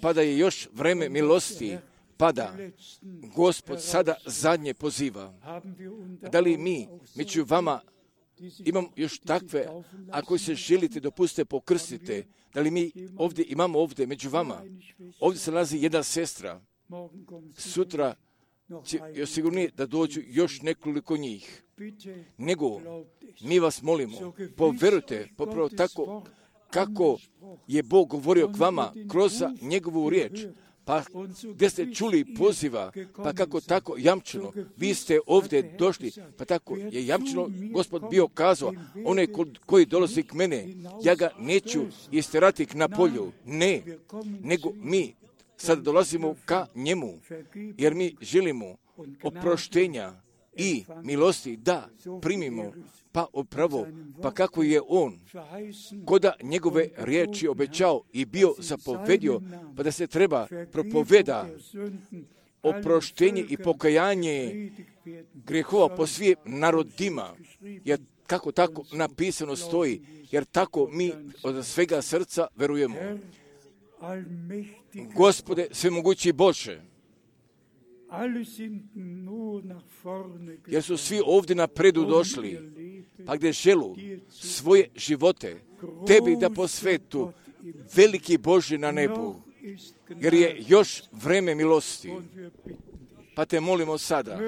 pa da je još vreme milosti, pa da Gospod sada zadnje poziva. Da li mi, među vama, imam još takve, ako se želite dopustite pokrstite, da li mi ovdje imamo ovdje među vama, ovdje se nalazi jedna sestra, sutra će još sigurnije da dođu još nekoliko njih. Nego, mi vas molimo, poverujte, popravo tako kako je Bog govorio k vama kroz njegovu riječ, pa gdje ste čuli poziva, pa kako tako jamčeno, vi ste ovdje došli, pa tako je jamčeno Gospod bio kazao, onaj koji dolazi k mene, ja ga neću isterati na polju, ne, nego mi sad dolazimo ka njemu, jer mi želimo oproštenja i milosti da primimo, pa upravo, pa kako je on koda njegove riječi obećao i bio zapovedio, pa da se treba propoveda oproštenje i pokajanje grehova po svim narodima, jer kako tako napisano stoji, jer tako mi od svega srca verujemo. Gospode, svemogući Bože, jer su svi ovdje napredu došli, pa gdje želu svoje živote tebi da posvetu, veliki Bože na nebu, jer je još vreme milosti. Pa te molimo sada,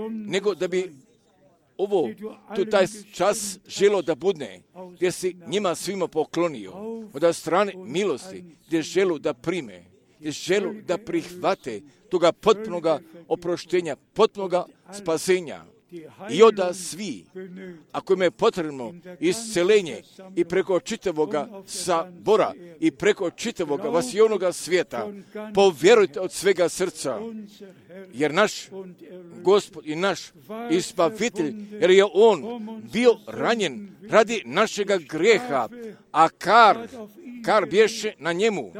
nego da bi ovo, tu taj čas želo da budne, gdje si njima svima poklonio, od strane milosti, gdje želu da prime, gdje želu da prihvate toga potpunoga oproštenja, potpunoga spasenja. I onda svi, ako im je potrebno iscelenje i preko čitavoga sabora i preko čitavoga vasionoga svijeta, povjerujte od svega srca, jer naš Gospod i naš Izbavitelj, jer je on bio ranjen radi našega grijeha, a kar, kar bješe na njemu,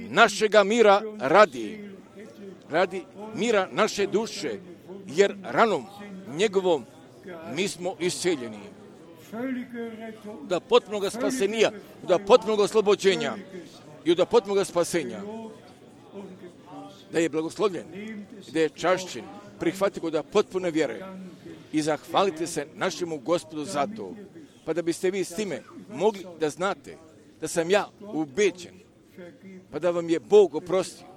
našega mira radi, radi mira naše duše, jer ranom njegovom mi smo isceljeni. Da potpunoga spasenija, da potpunoga oslobođenja i da potpunoga spasenja. Da je blagoslovljen, da je čašćen, prihvati ga da potpune vjere i zahvalite se našemu Gospodu za to, pa da biste vi s time mogli da znate da sam ja ubeđen, pa da vam je Bog oprostio.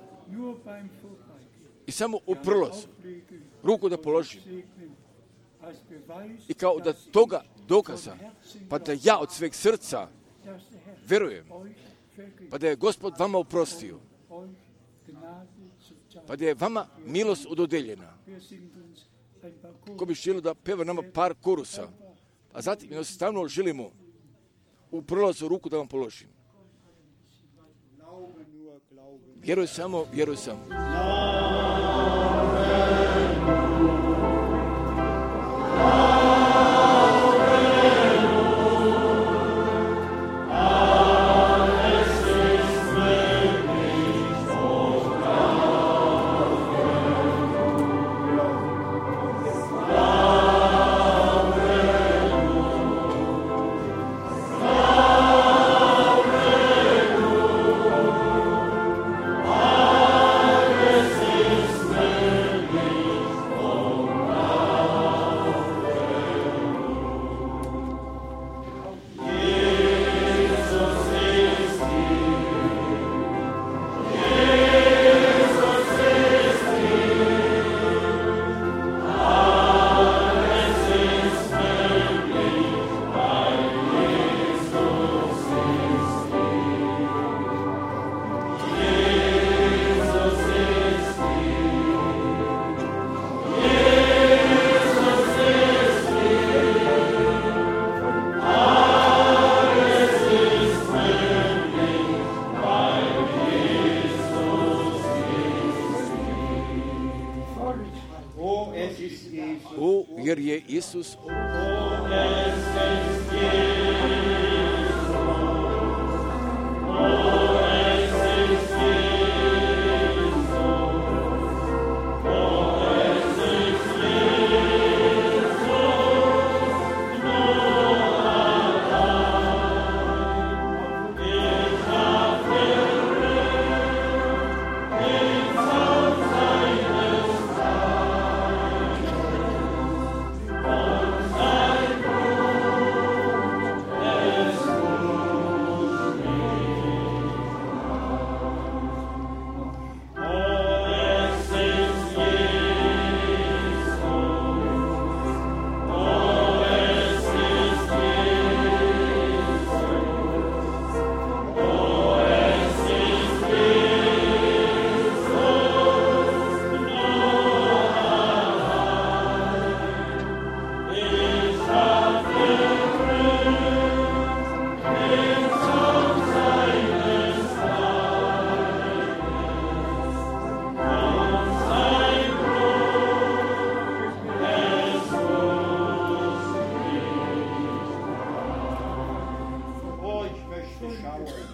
I samo u prolazu ruku da položim i kao da toga dokaza, pa da ja od sveg srca verujem, pa da je Gospod vama oprostio, pa da je vama milost ododeljena. Ko bi želio da peva nama par korusa, a zatim jednostavno želimo u prolazu ruku da vam položim. Vjeruj samo, vjeruj samo. O, jer je Isus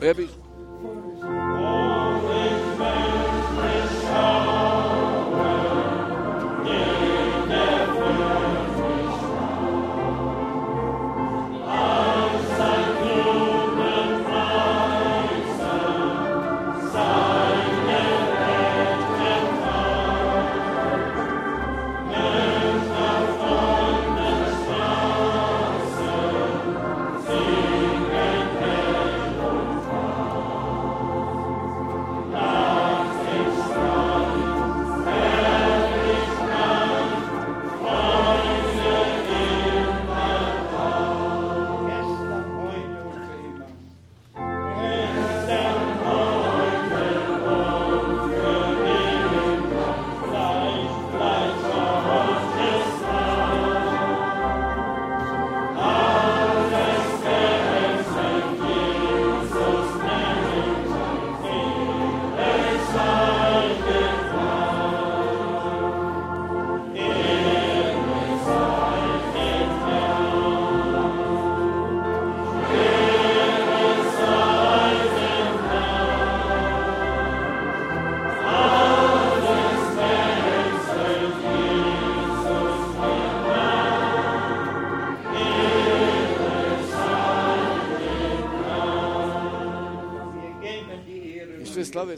Ja bih slave.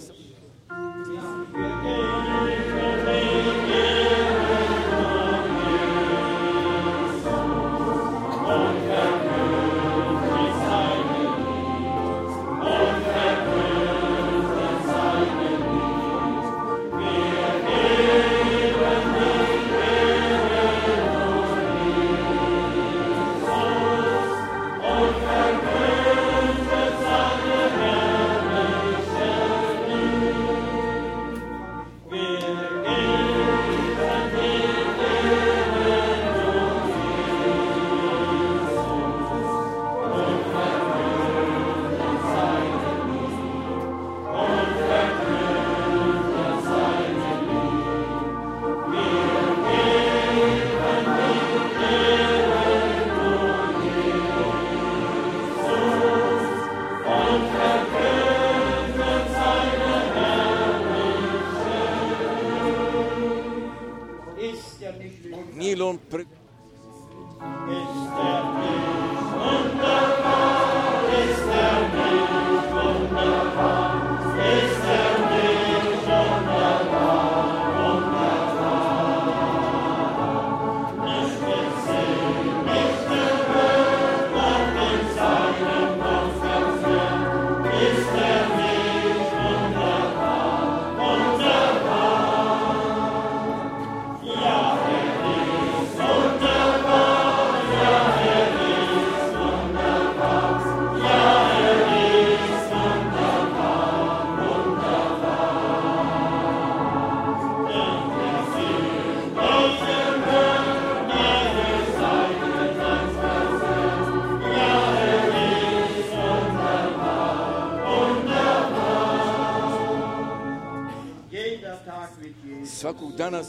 Svakog dana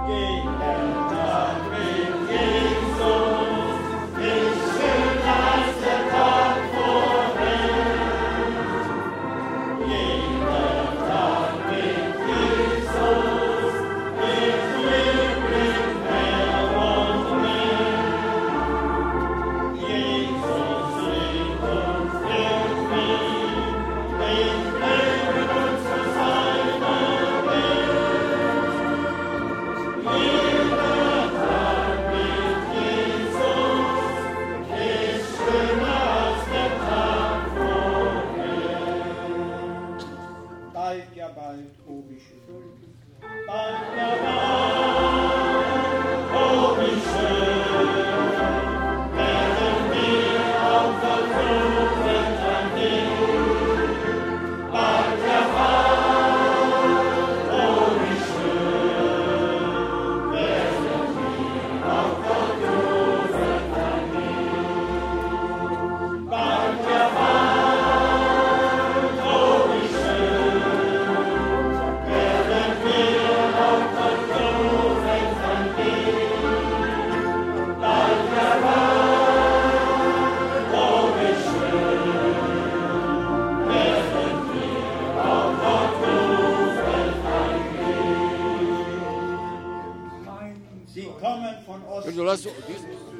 Yeah. Jer dolaze od istoka.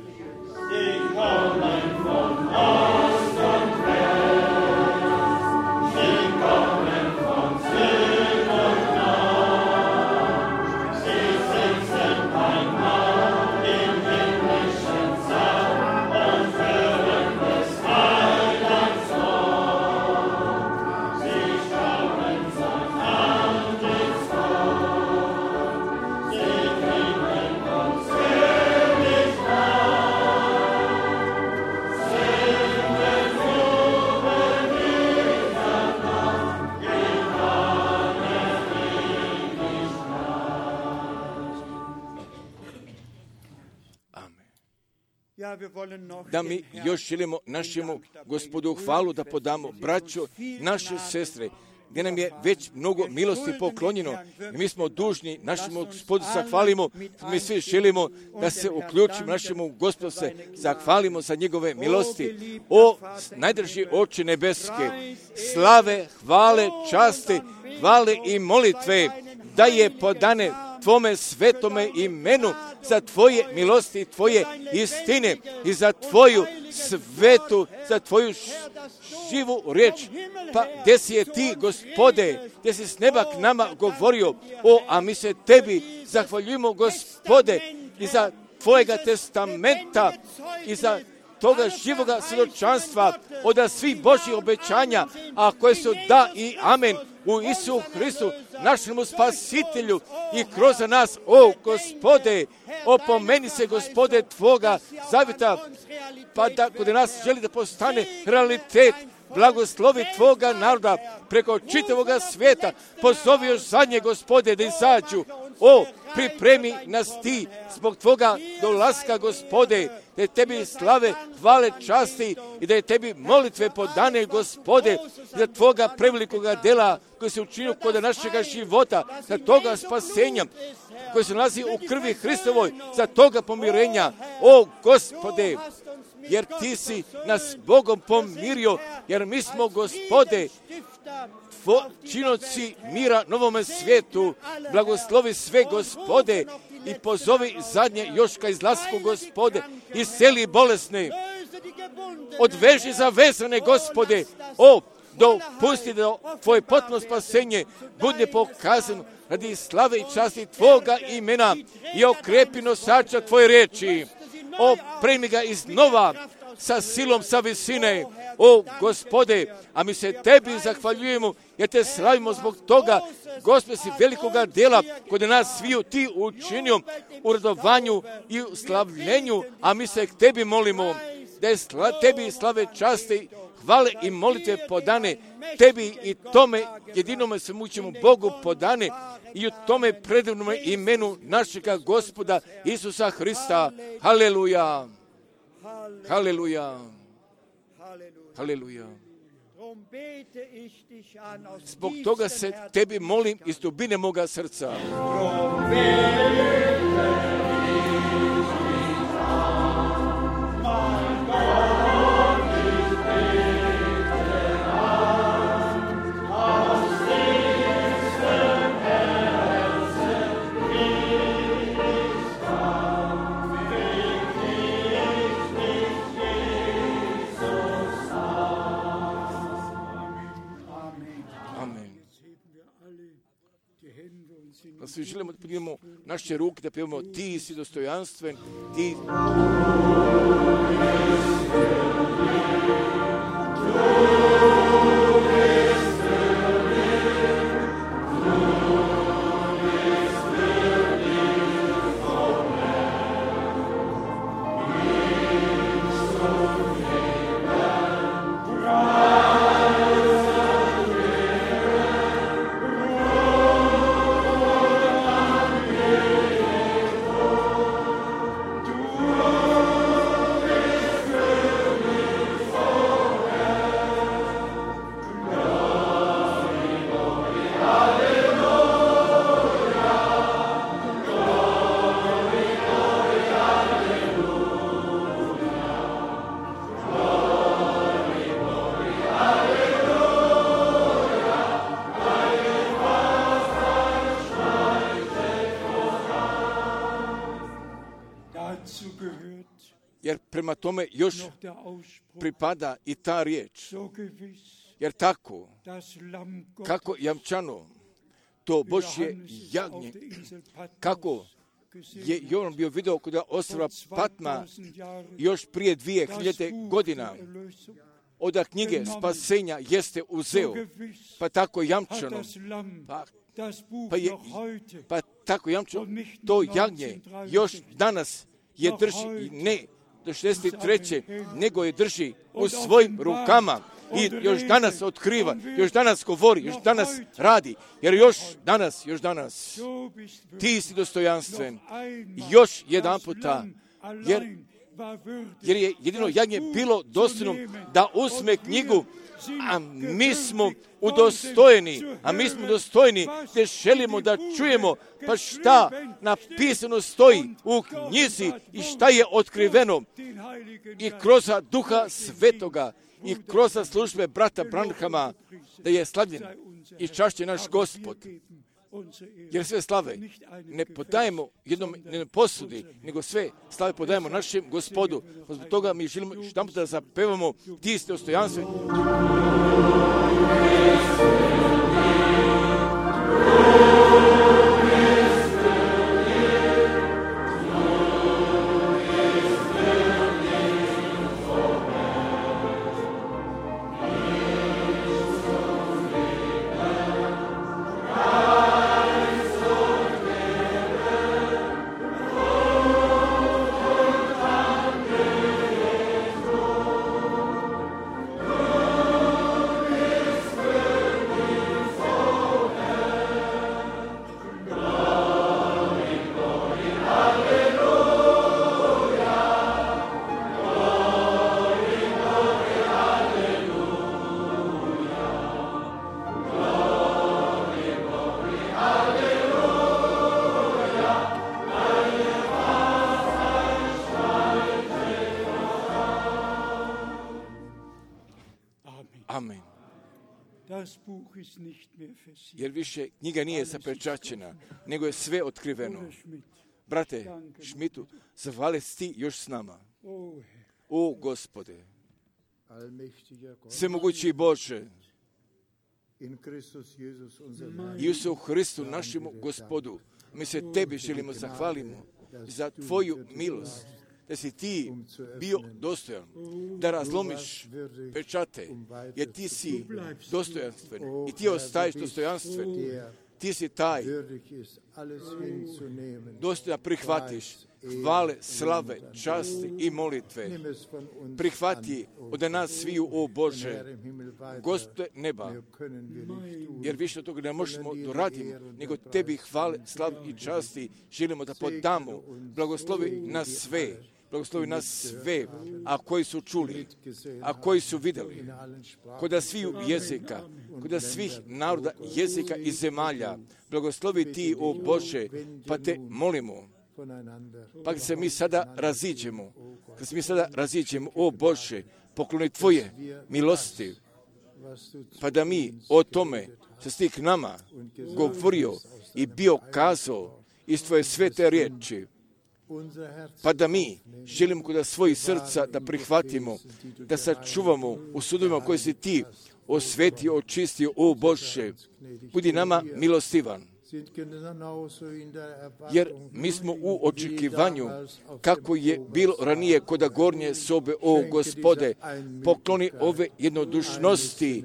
Sie kommen von Ost und West, sie kommen von Süd und Nord, sie sitzen einmal im himmlischen Saal und hören des Heilands Wort. Sie schauen sein Antlitz, sie klingen uns fröhlich da mi još želimo našemu Gospodu hvalu da podamo, braćo, naše sestre, gdje nam je već mnogo milosti poklonjeno i mi smo dužni našemu Gospodu zahvalimo, mi svi želimo da se uključimo našemu Gospodu, se zahvalimo za njegove milosti. O najdrži oče nebeske, slave, hvale, časti, hvale i molitve da je podane Tvome svetome imenu za Tvoje milosti i Tvoje istine i za Tvoju svetu, za Tvoju živu riječ. Pa gdje si je Ti, Gospode, gdje si s neba k nama govorio, o, a mi se Tebi zahvaljujemo, Gospode, i za Tvojega testamenta i za toga živoga svjedočanstva od svih Božjih obećanja, a koje su da i amen u Isu Hristu, našemu spasitelju i kroz nas, o Gospode, opomeni se, Gospode, Tvoga zavjeta, pa da kod nas želi da postane realitet, blagoslovi Tvoga naroda preko čitavoga svijeta, pozovi još zadnje, Gospode, da izađu. O, pripremi nas Ti zbog Tvoga dolaska, Gospode, da je Tebi slave, hvale, časti i da je Tebi molitve podane, Gospode, za Tvoga prevelikoga dela koji se učinio kod našega života, za toga spasenja koji se nalazi u krvi Hristovoj, za toga pomirenja. O, Gospode, jer Ti si nas Bogom pomirio, jer mi smo, Gospode, činoci mira novome svijetu. Blagoslovi sve, Gospode, i pozovi zadnje još ka izlasku, Gospode, isceli bolesne, odveži zavezane, Gospode, o, dopusti da Tvoje potpuno spasenje bude pokazano radi slave i časti Tvoga imena i okrepi nosača Tvoje riječi. O, primi ga iznova sa silom sa visine, o Gospode, a mi se Tebi zahvaljujemo jer Te slavimo zbog toga, Gospode, si velikoga dela kod nas sviju Ti učinio u radovanju i u slavljenju, a mi se k Tebi molimo da je sla, Tebi slave, časti, hvale i molitve podane Tebi i tome jedinome svemoćnome Bogu podane i u tome predivnome imenu našega Gospoda Isusa Hrista. Haleluja! Haleluja! Haleluja! Zbog toga se Tebi molim iz dubine moga srca. Da svi želimo da podignemo naše ruke, da pevamo Ti si dostojanstven, Ti... Lord. Jer prema tome još pripada i ta riječ. Jer tako, kako jamčano, to Božje jagnje, kako je Jovan bio vidio kod ostrva Patma još prije dvije hiljade godina, od knjige spasenja jeste uzeo, pa tako jamčano, pa, pa, je, pa tako jamčano, to jagnje još danas je drži, i ne do šezdeset treće nego je drži u svojim rukama i još danas otkriva, još danas govori, još danas radi, jer još danas, još danas, ti si dostojanstven, još jedan puta, jer, jer je jedino jagnje bilo dostojno da uzme knjigu, a mi smo udostojeni, a mi smo dostojni, te želimo da čujemo, pa šta napisano stoji u knjizi i šta je otkriveno i kroz Duha Svetoga i kroz službe brata Branhama, da je slavljen i čašćen naš Gospod. Jer sve slave ne podajemo jednom ne posudi, nego sve slave podajemo našem Gospodu. Zbog toga mi želimo što da zapevamo ti ste dostojanstveni. Amen. Jer više knjiga nije zapečaćena, nego je sve otkriveno. Brate Šmitu, zahvali ti još s nama. O Gospode, svemogući Bože, i u Hristu našemu Gospodu, mi se tebi želimo zahvalimo za tvoju milost, da si ti bio dostojan, da razlomiš pečate, jer ti si dostojanstven i ti ostaješ dostojanstven. Ti si taj, dostojan prihvatiš hvale, slave, časti i molitve. Prihvati od nas sviju, o Bože, Gospode neba, jer više od toga ne možemo doraditi, nego tebi hvale, slave i časti želimo da podamo. Blagoslovi nas sve. Blagoslovi nas sve, a koji su čuli, a koji su vidjeli, kod svih jezika, kod svih naroda, jezika i zemalja. Blagoslovi ti, o Bože, pa te molimo, pa kad se mi sada raziđemo, kad se mi sada raziđemo, o Bože, pokloni tvoje milosti, pa da mi o tome, što si ti k nama govorio i bio kazao iz tvoje svete riječi, pa da mi želimo kod svojih srca da prihvatimo, da sačuvamo u sudovima koje si ti osvetio, očistio, o Bože, budi nama milostivan. Jer mi smo u očekivanju kako je bilo ranije kod gornje sobe, o Gospode, pokloni ove jednodušnosti,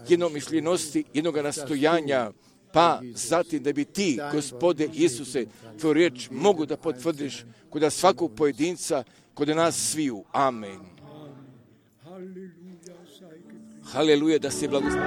jednomišljenosti, jednoga nastojanja, pa zatim da bi ti, Gospode Isuse, tvoju riječ mogu da potvrdiš kod svakog pojedinca, kod nas sviju. Amen. Haleluja, da se blagoslovi.